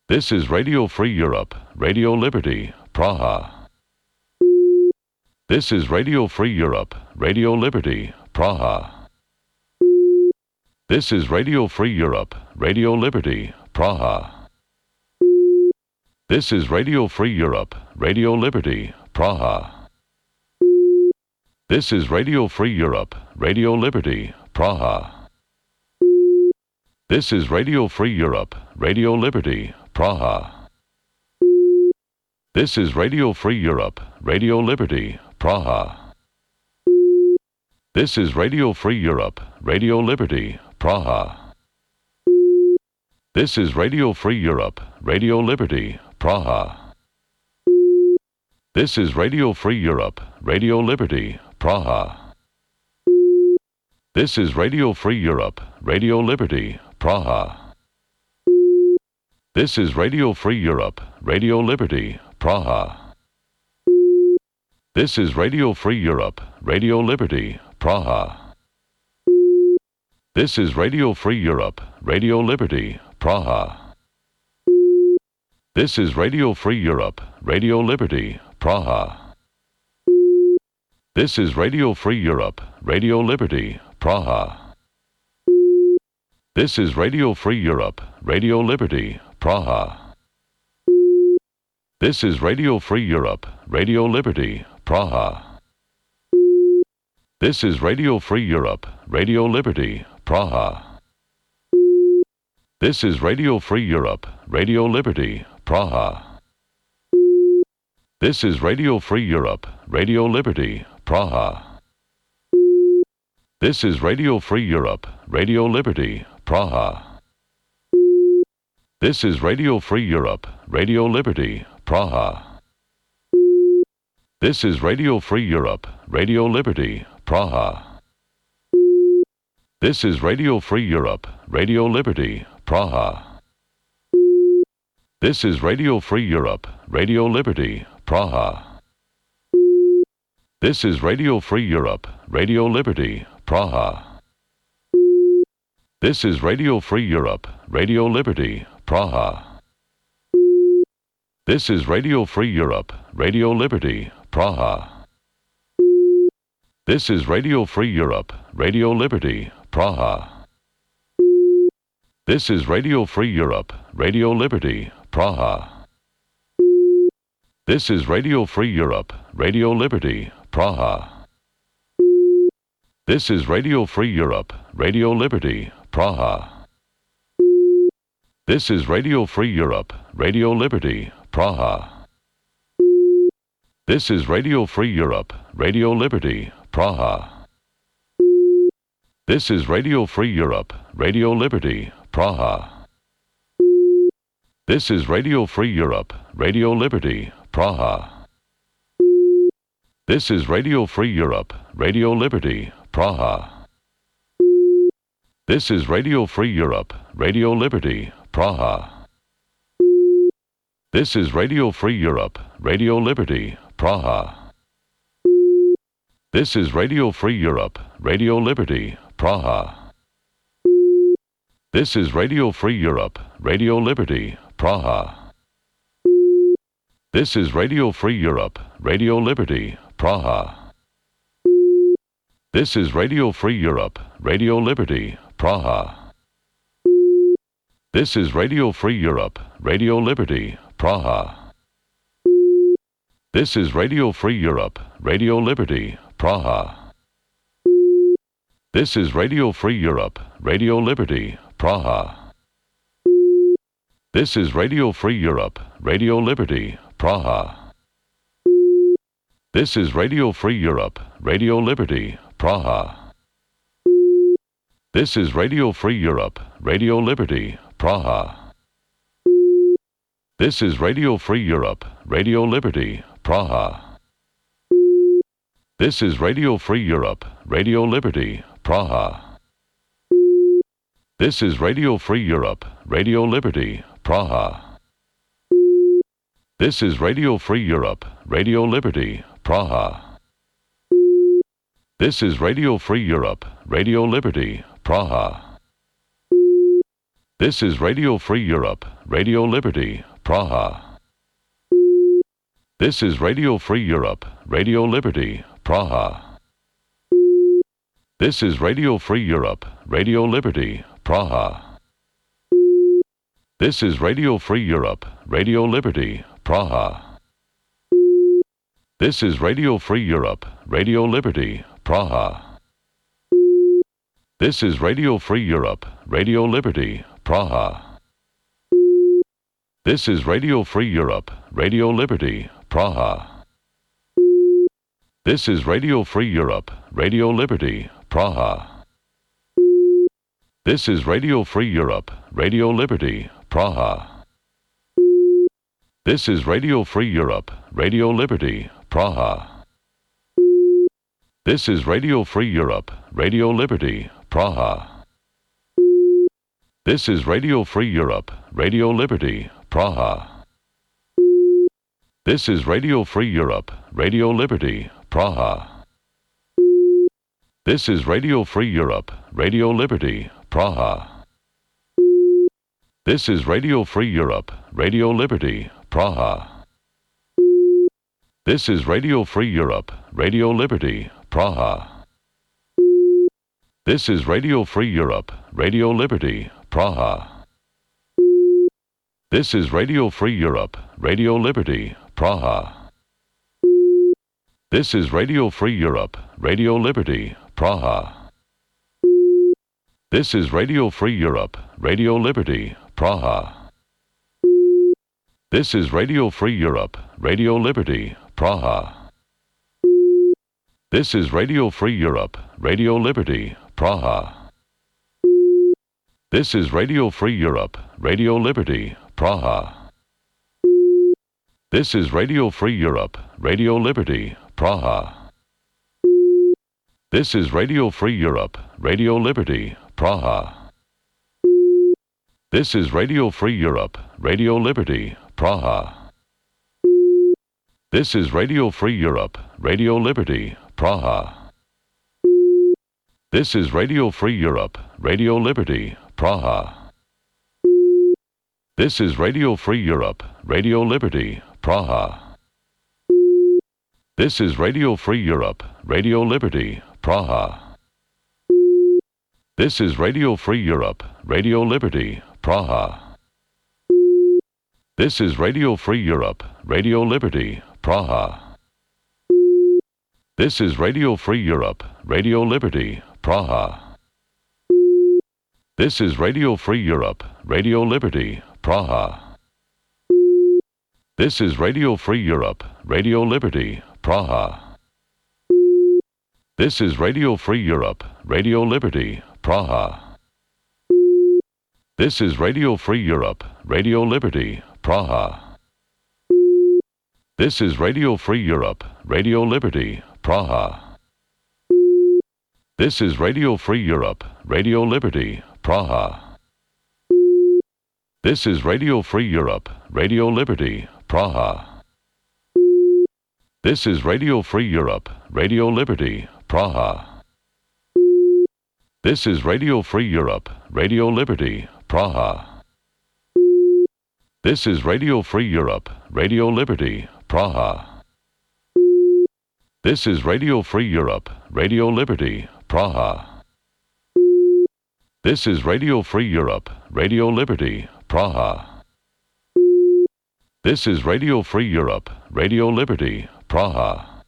This is Radio Free Europe, Radio Liberty, Praha. This is Radio Free Europe, Radio Liberty, Praha. This is Radio Free Europe, Radio Liberty, Praha. This is Radio Free Europe, Radio Liberty, Praha. This is Radio Free Europe, Radio Liberty, Praha. This is Radio Free Europe, Radio Liberty, Praha. This is Radio Free Europe, Radio Liberty, Praha. This is Radio Free Europe, Radio Liberty, Praha. This is Radio Free Europe, Radio Liberty, Praha. This is Radio Free Europe, Radio Liberty, Praha. This is Radio Free Europe, Radio Liberty, Praha. This is Radio Free Europe, Radio Liberty, Praha. This is Radio Free Europe, Radio Liberty, Praha. This is Radio Free Europe, Radio Liberty, Praha. This is Radio Free Europe, Radio Liberty, Praha. This is Radio Free Europe, Radio Liberty, Praha. This is Radio Free Europe, Radio Liberty, Praha. This is Radio Free Europe, Radio Liberty, Praha. This is Radio Free Europe, Radio Liberty, Praha. This is Radio Free Europe, Radio Liberty, Praha. This is Radio Free Europe, Radio Liberty, Praha. This is Radio Free Europe, Radio Liberty, Praha. This is Radio Free Europe, Radio Liberty, Praha. This is Radio Free Europe, Radio Liberty, Praha. This is Radio Free Europe, Radio Liberty, Praha. This is Radio Free Europe, Radio Liberty, Praha. This is Radio Free Europe, Radio Liberty, Praha. This is Radio Free Europe, Radio Liberty, Praha. This is Radio Free Europe, Radio Liberty, Praha. This is Radio Free Europe, Radio Liberty, Praha. This is Radio Free Europe, Radio Liberty, Praha. This is Radio Free Europe, Radio Liberty, Praha. This is Radio Free Europe, Radio Liberty, Praha. This is Radio Free Europe, Radio Liberty, Praha. This is Radio Free Europe, Radio Liberty, Praha. This is Radio Free Europe, Radio Liberty, Praha. This is Radio Free Europe, Radio Liberty, Praha. This is Radio Free Europe, Radio Liberty, Praha. This is Radio Free Europe, Radio Liberty, Praha. This is Radio Free Europe, Radio Liberty, Praha. This is Radio Free Europe, Radio Liberty, Praha. This is Radio Free Europe, Radio Liberty, Praha. This is Radio Free Europe, Radio Liberty, Praha. This is Radio Free Europe, Radio Liberty, Praha. This is Radio Free Europe, Radio Liberty, Praha. This is Radio Free Europe, Radio Liberty, Praha. This is Radio Free Europe, Radio Liberty, Praha. This is Radio Free Europe, Radio Liberty, Praha. This is Radio Free Europe, Radio Liberty, Praha. This is Radio Free Europe, Radio Liberty, Praha. This is Radio Free Europe, Radio Liberty, Praha. This is Radio Free Europe, Radio Liberty, Praha. This is Radio Free Europe, Radio Liberty, Praha. This is Radio Free Europe, Radio Liberty, Praha. This is Radio Free Europe, Radio Liberty, Praha. This is Radio Free Europe, Radio Liberty, Praha. This is Radio Free Europe, Radio Liberty, Praha. This is Radio Free Europe, Radio Liberty, Praha. This is Radio Free Europe, Radio Liberty, Praha. This is Radio Free Europe, Radio Liberty, Praha. This is Radio Free Europe, Radio Liberty, Praha. This is Radio Free Europe, Radio Liberty, Praha. This is Radio Free Europe, Radio Liberty, Praha. This is Radio Free Europe, Radio Liberty, Praha. This is Radio Free Europe, Radio Liberty, Praha. This is Radio Free Europe, Radio Liberty, Praha. This is Radio Free Europe, Radio Liberty, Praha. This is Radio Free Europe, Radio Liberty, Praha. This is Radio Free Europe, Radio Liberty, Praha. This is Radio Free Europe, Radio Liberty, Praha. This is Radio Free Europe, Radio Liberty, Praha. This is Radio Free Europe, Radio Liberty, Praha. This is Radio Free Europe, Radio Liberty, Praha. This is Radio Free Europe, Radio Liberty, Praha. This is Radio Free Europe, Radio Liberty, Praha. This is Radio Free Europe, Radio Liberty, Praha. This is Radio Free Europe, Radio Liberty, Praha. This is Radio Free Europe, Radio Liberty, Praha. This is Radio Free Europe, Radio Liberty, Praha. This is Radio Free Europe, Radio Liberty, Praha. This is Radio Free Europe, Radio Liberty, Praha. This is Radio Free Europe, Radio Liberty, Praha. This is Radio Free Europe, Radio Liberty, Praha. This is Radio Free Europe, Radio Liberty, Praha. This is Radio Free Europe, Radio Liberty, Praha. This is Radio Free Europe, Radio Liberty, Praha. This is Radio Free Europe, Radio Liberty, Praha. This is Radio Free Europe, Radio Liberty, Praha. This is Radio Free Europe, Radio Liberty, Praha. This is Radio Free Europe, Radio Liberty, Praha. This is Radio Free Europe, Radio Liberty, Praha. This is Radio Free Europe, Radio Liberty, Praha. This is Radio Free Europe, Radio Liberty, Praha. This is Radio Free Europe, Radio Liberty, Praha. This is Radio Free Europe, Radio Liberty, Praha. This is Radio Free Europe, Radio Liberty, Praha. This is Radio Free Europe, Radio Liberty, Praha. This is Radio Free Europe, Radio Liberty, Praha. This is Radio Free Europe, Radio Liberty, Praha. This is Radio Free Europe, Radio Liberty, Praha. This is Radio Free Europe, Radio Liberty, Praha.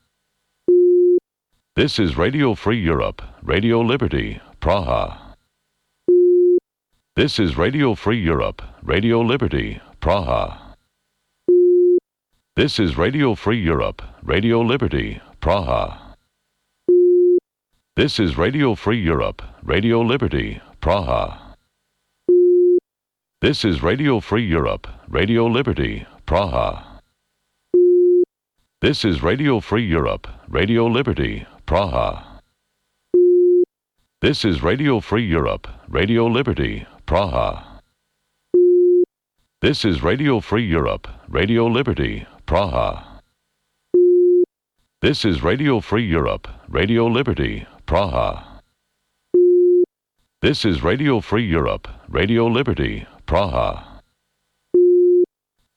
This is Radio Free Europe, Radio Liberty, Praha. This is Radio Free Europe, Radio Liberty, Praha. This is Radio Free Europe, Radio Liberty, Praha. This is Radio Free Europe, Radio Liberty, Praha. This is Radio Free Europe, Radio Liberty, Praha. This is Radio Free Europe, Radio Liberty, Praha. This is Radio Free Europe, Radio Liberty, Praha. This is Radio Free Europe, Radio Liberty, Praha. This is Radio Free Europe, Radio Liberty, Praha. This is Radio Free Europe, Radio Liberty, Praha.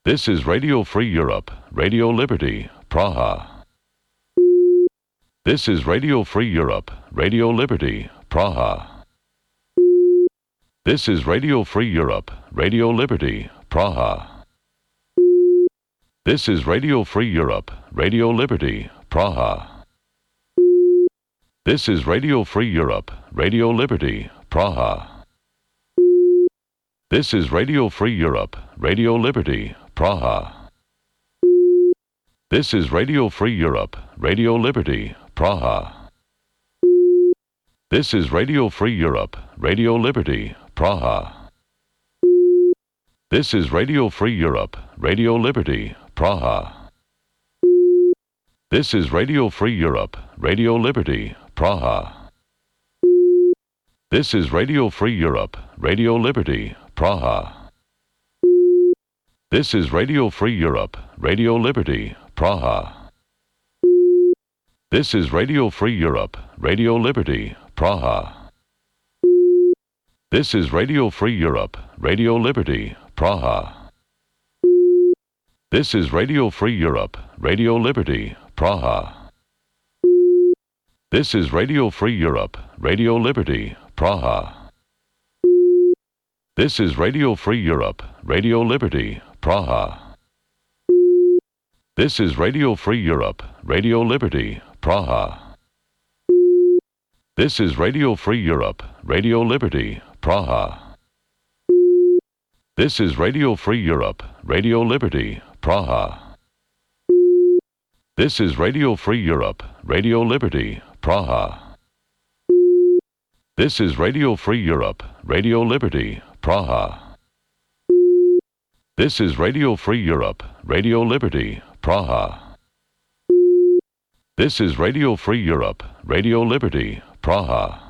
This is Radio Free Europe, Radio Liberty, Praha. This is Radio Free Europe, Radio Liberty, Praha. This is Radio Free Europe, Radio Liberty, Praha. This is Radio Free Europe, Radio Liberty, Praha. This is Radio Free Europe, Radio Liberty, Praha. This is Radio Free Europe, Radio Liberty, Praha. This is Radio Free Europe, Radio Liberty, Praha. This is Radio Free Europe, Radio Liberty, Praha. This is Radio Free Europe, Radio Liberty, Praha. This is Radio Free Europe, Radio Liberty, Praha. This is Radio Free Europe, Radio Liberty, Praha. This is Radio Free Europe, Radio Liberty, Praha. This is Radio Free Europe, Radio Liberty, Praha. This is Radio Free Europe, Radio Liberty, Praha. This is Radio Free Europe, Radio Liberty, Praha. This is Radio Free Europe, Radio Liberty, Praha. This is Radio Free Europe, Radio Liberty, Praha. This is Radio Free Europe, Radio Liberty, Praha. This is Radio Free Europe, Radio Liberty, Praha. This is Radio Free Europe, Radio Liberty, Praha. This is Radio Free Europe, Radio Liberty, Praha. This is Radio Free Europe, Radio Liberty, Praha. This is Radio Free Europe, Radio Liberty, Praha. This is Radio Free Europe, Radio Liberty, Praha.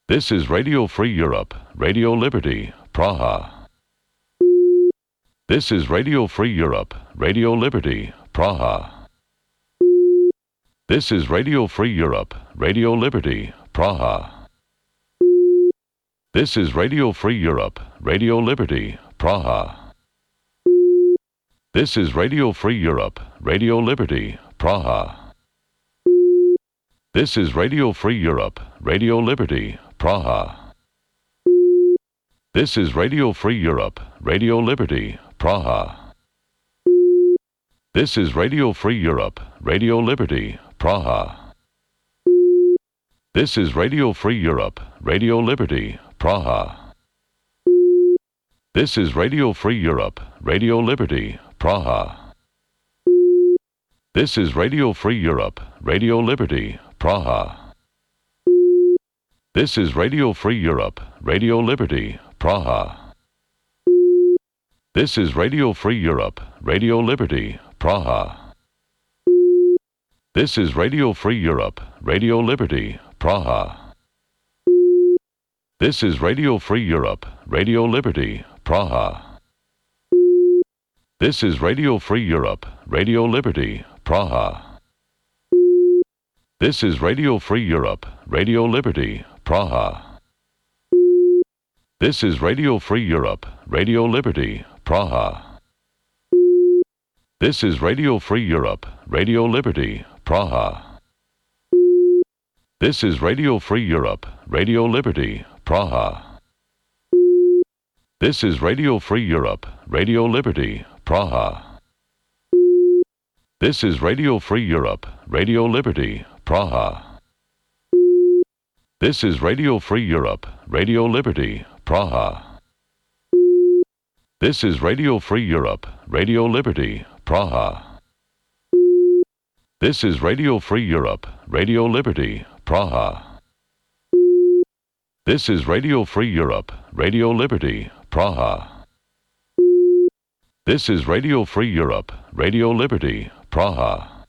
This is Radio Free Europe, Radio Liberty, Praha. This is Radio Free Europe, Radio Liberty, Praha. This is Radio Free Europe, Radio Liberty, Praha. This is Radio Free Europe, Radio Liberty, Praha. This is Radio Free Europe, Radio Liberty, Praha. This is Radio Free Europe, Radio Liberty, Praha. This is Radio Free Europe, Radio Liberty, Praha. This is Radio Free Europe, Radio Liberty, Praha. This is Radio Free Europe, Radio Liberty, Praha. This is Radio Free Europe, Radio Liberty, Praha. This is Radio Free Europe, Radio Liberty, Praha. This is Radio Free Europe, Radio Liberty, Praha. This is Radio Free Europe, Radio Liberty, Praha. This is Radio Free Europe, Radio Liberty, Praha. This is Radio Free Europe, Radio Liberty, Praha. This is Radio Free Europe, Radio Liberty, Praha. This is Radio Free Europe, Radio Liberty, Praha. This is Radio Free Europe, Radio Liberty, Praha. This is Radio Free Europe, Radio Liberty, Praha. This is Radio Free Europe, Radio Liberty, Praha. This is Radio Free Europe, Radio Liberty, Praha. This is Radio Free Europe, Radio Liberty, Praha. This is Radio Free Europe, Radio Liberty, Praha. This is Radio Free Europe, Radio Liberty, Praha. This is Radio Free Europe, Radio Liberty, Praha. This is Radio Free Europe, Radio Liberty, Praha. This is Radio Free Europe, Radio Liberty, Praha.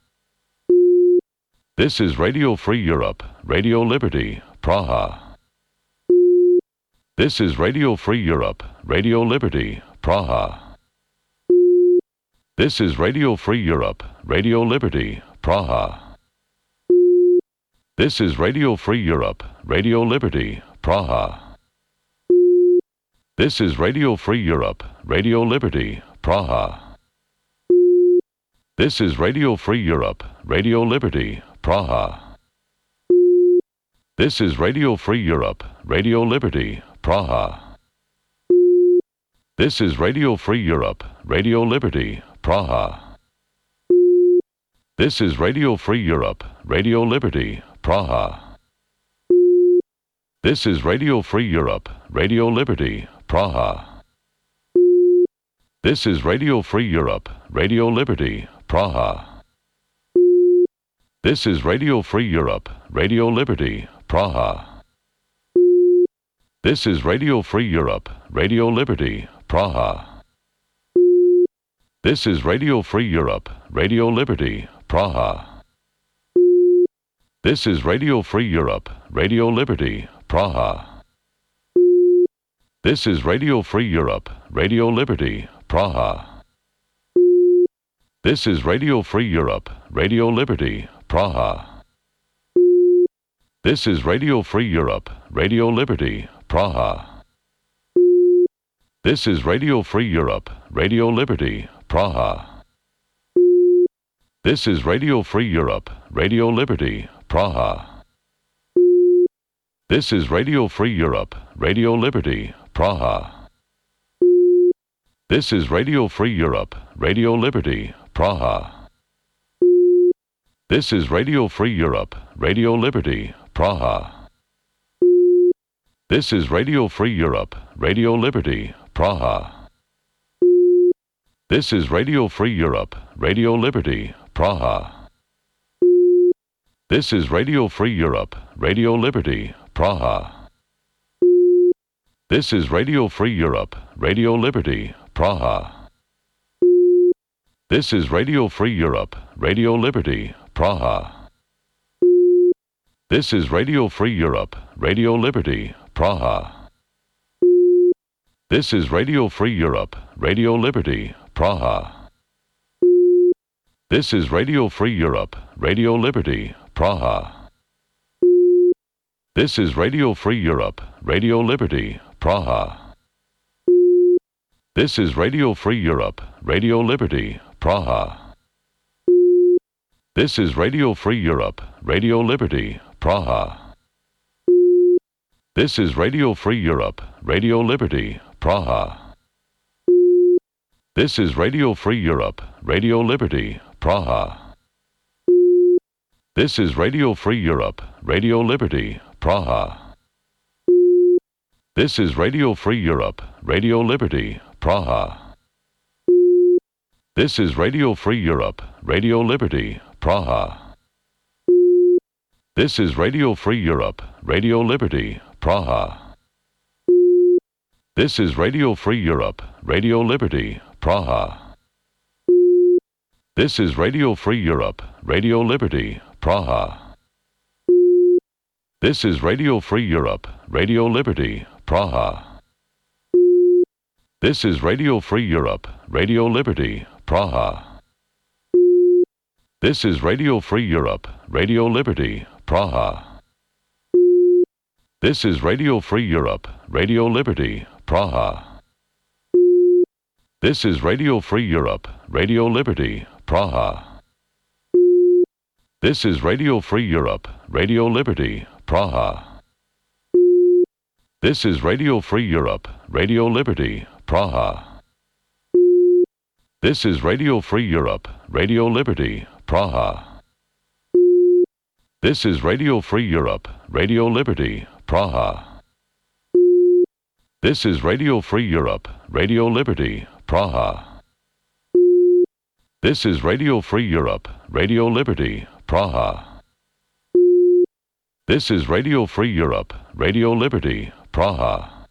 This is Radio Free Europe, Radio Liberty, Praha. This is Radio Free Europe, Radio Liberty, Praha. This is Radio Free Europe, Radio Liberty, Praha. This is Radio Free Europe, Radio Liberty, Praha. This is Radio Free Europe, Radio Liberty, Praha. This is Radio Free Europe, Radio Liberty, Praha. This is Radio Free Europe, Radio Liberty, Praha. This is Radio Free Europe, Radio Liberty, Praha. This is Radio Free Europe, Radio Liberty, Praha. This is Radio Free Europe, Radio Liberty, Praha. This is Radio Free Europe, Radio Liberty, Praha. This is Radio Free Europe, Radio Liberty, Praha. This is Radio Free Europe, Radio Liberty, Praha. This is Radio Free Europe, Radio Liberty, Praha. This is Radio Free Europe, Radio Liberty, Praha. This is Radio Free Europe, Radio Liberty, Praha. This is Radio Free Europe, Radio Liberty, Praha. This is Radio Free Europe, Radio Liberty, Praha. This is Radio Free Europe, Radio Liberty, Praha. This is Radio Free Europe, Radio Liberty, Praha. This is Radio Free Europe, Radio Liberty, Praha. This is Radio Free Europe, Radio Liberty, Praha. This is Radio Free Europe, Radio Liberty, Praha. This is Radio Free Europe, Radio Liberty, Praha. This is Radio Free Europe, Radio Liberty, Praha. This is Radio Free Europe, Radio Liberty, Praha. This is Radio Free Europe, Radio Liberty, Praha. This is Radio Free Europe, Radio Liberty, Praha. This is Radio Free Europe, Radio Liberty, Praha. This is Radio Free Europe, Radio Liberty, Praha. This is Radio Free Europe, Radio Liberty, Praha. This is Radio Free Europe, Radio Liberty, Praha. This is Radio Free Europe, Radio Liberty, Praha. This is Radio Free Europe, Radio Liberty, Praha. This is Radio Free Europe, Radio Liberty, Praha. This is Radio Free Europe, Radio Liberty, Praha. This is Radio Free Europe, Radio Liberty, Praha. This is Radio Free Europe, Radio Liberty, Praha. This is Radio Free Europe, Radio Liberty, Praha. This is Radio Free Europe, Radio Liberty, Praha. This is Radio Free Europe, Radio Liberty, Praha. This is Radio Free Europe, Radio Liberty, Praha. This is Radio Free Europe, Radio Liberty, Praha. This is Radio Free Europe, Radio Liberty, Praha. This is Radio Free Europe, Radio Liberty, Praha. This is Radio Free Europe, Radio Liberty, Praha. This is Radio Free Europe, Radio Liberty, Praha. This is Radio Free Europe, Radio Liberty, Praha. This is Radio Free Europe, Radio Liberty, Praha. This is Radio Free Europe, Radio Liberty, Praha. This is Radio Free Europe, Radio Liberty, Praha. This is Radio Free Europe, Radio Liberty, Praha. This is Radio Free Europe, Radio Liberty, Praha. This is Radio Free Europe, Radio Liberty, Praha.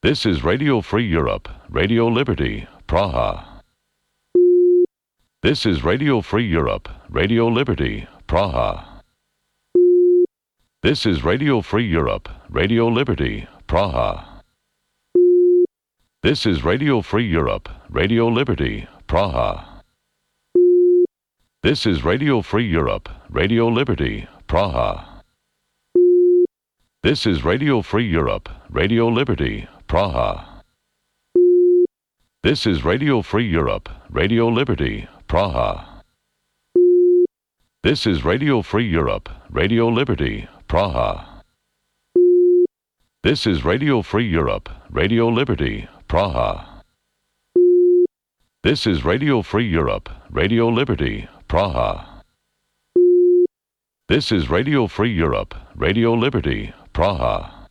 This is Radio Free Europe, Radio Liberty, Praha. This is Radio Free Europe, Radio Liberty, Praha. This is Radio Free Europe, Radio Liberty, Praha. This is Radio Free Europe, Radio Liberty, Praha. This is Radio Free Europe, Radio Liberty, Praha. This is Radio Free Europe, Radio Liberty, Praha. This is Radio Free Europe, Radio Liberty, Praha. This is Radio Free Europe, Radio Liberty, Praha. This is Radio Free Europe, Radio Liberty, Praha. This is Radio Free Europe, Radio Liberty, Praha. This is Radio Free Europe, Radio Liberty, Praha.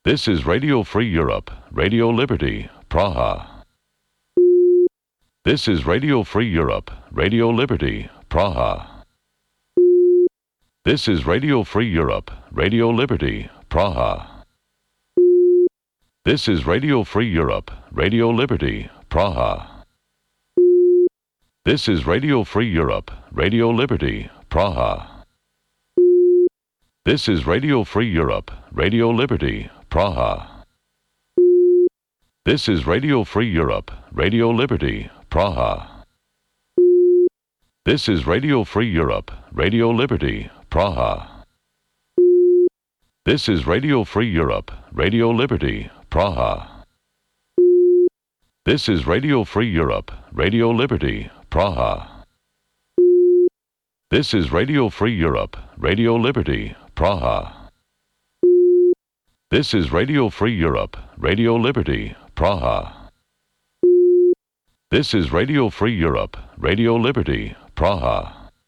This is Radio Free Europe, Radio Liberty, Praha. This is Radio Free Europe, Radio Liberty, Praha. This is Radio Free Europe, Radio Liberty, Praha. This is Radio Free Europe, Radio Liberty, Praha. This is Radio Free Europe, Radio Liberty, Praha. This is Radio Free Europe, Radio Liberty, Praha. This is Radio Free Europe, Radio Liberty, Praha. This is Radio Free Europe, Radio Liberty, Praha. This is Radio Free Europe, Radio Liberty, Praha. This is Radio Free Europe, Radio Liberty, Praha. This is Radio Free Europe, Radio Liberty, Praha. This is Radio Free Europe, Radio Liberty, Praha. This is Radio Free Europe, Radio Liberty, Praha.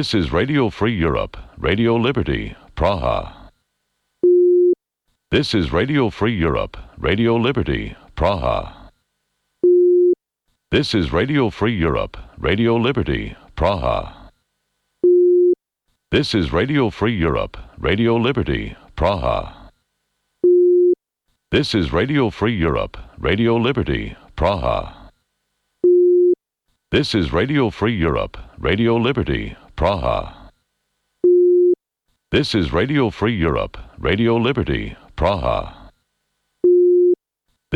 This is Radio Free Europe, Radio Liberty, Praha. This is Radio Free Europe, Radio Liberty, Praha. This is Radio Free Europe, Radio Liberty, Praha. This is Radio Free Europe, Radio Liberty, Praha. This is Radio Free Europe, Radio Liberty, Praha. This is Radio Free Europe, Radio Liberty, Praha. This is Radio Free Europe, Radio Liberty, Praha.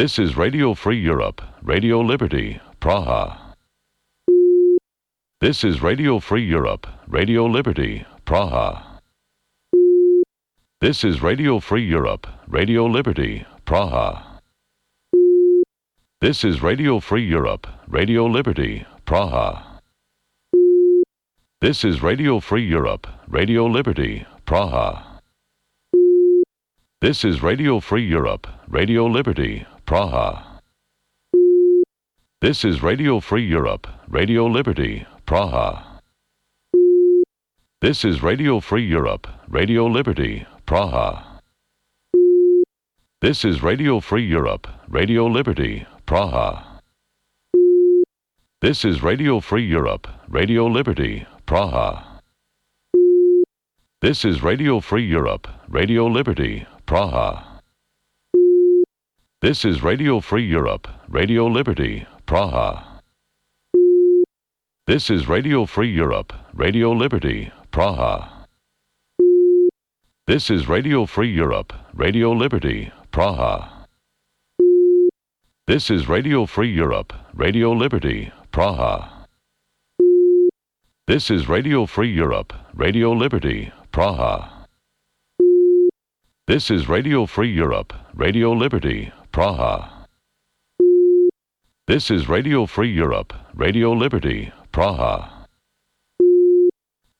This is Radio Free Europe, Radio Liberty, Praha. This is Radio Free Europe, Radio Liberty, Praha. This is Radio Free Europe, Radio Liberty, Praha. This is Radio Free Europe, Radio Liberty, Praha. This is Radio Free Europe, Radio Liberty, Praha. This is Radio Free Europe, Radio Liberty, Praha. This is Radio Free Europe, Radio Liberty, Praha. This is Radio Free Europe, Radio Liberty, Praha. This is Radio Free Europe, Radio Liberty, Praha. This is Radio Free Europe, Radio Liberty, Praha. This is Radio Free Europe, Radio Liberty, Praha. This is Radio Free Europe, Radio Liberty, Praha. This is Radio Free Europe, Radio Liberty, Praha. This is Radio Free Europe, Radio Liberty, Praha. This is Radio Free Europe, Radio Liberty, Praha. This is Radio Free Europe, Radio Liberty, Praha. This is Radio Free Europe, Radio Liberty, Praha. This is Radio Free Europe, Radio Liberty, Praha.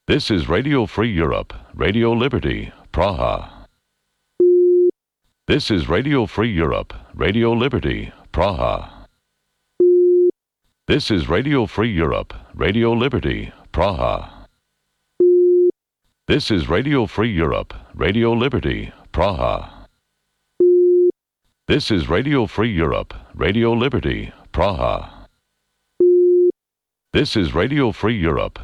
This is Radio Free Europe, Radio Liberty, Praha. This is Radio Free Europe, Radio Liberty, Praha. This is Radio Free Europe, Radio Liberty, Praha. This is Radio Free Europe, Radio Liberty, Praha. This is Radio Free Europe, Radio Liberty, Praha. This is Radio Free Europe,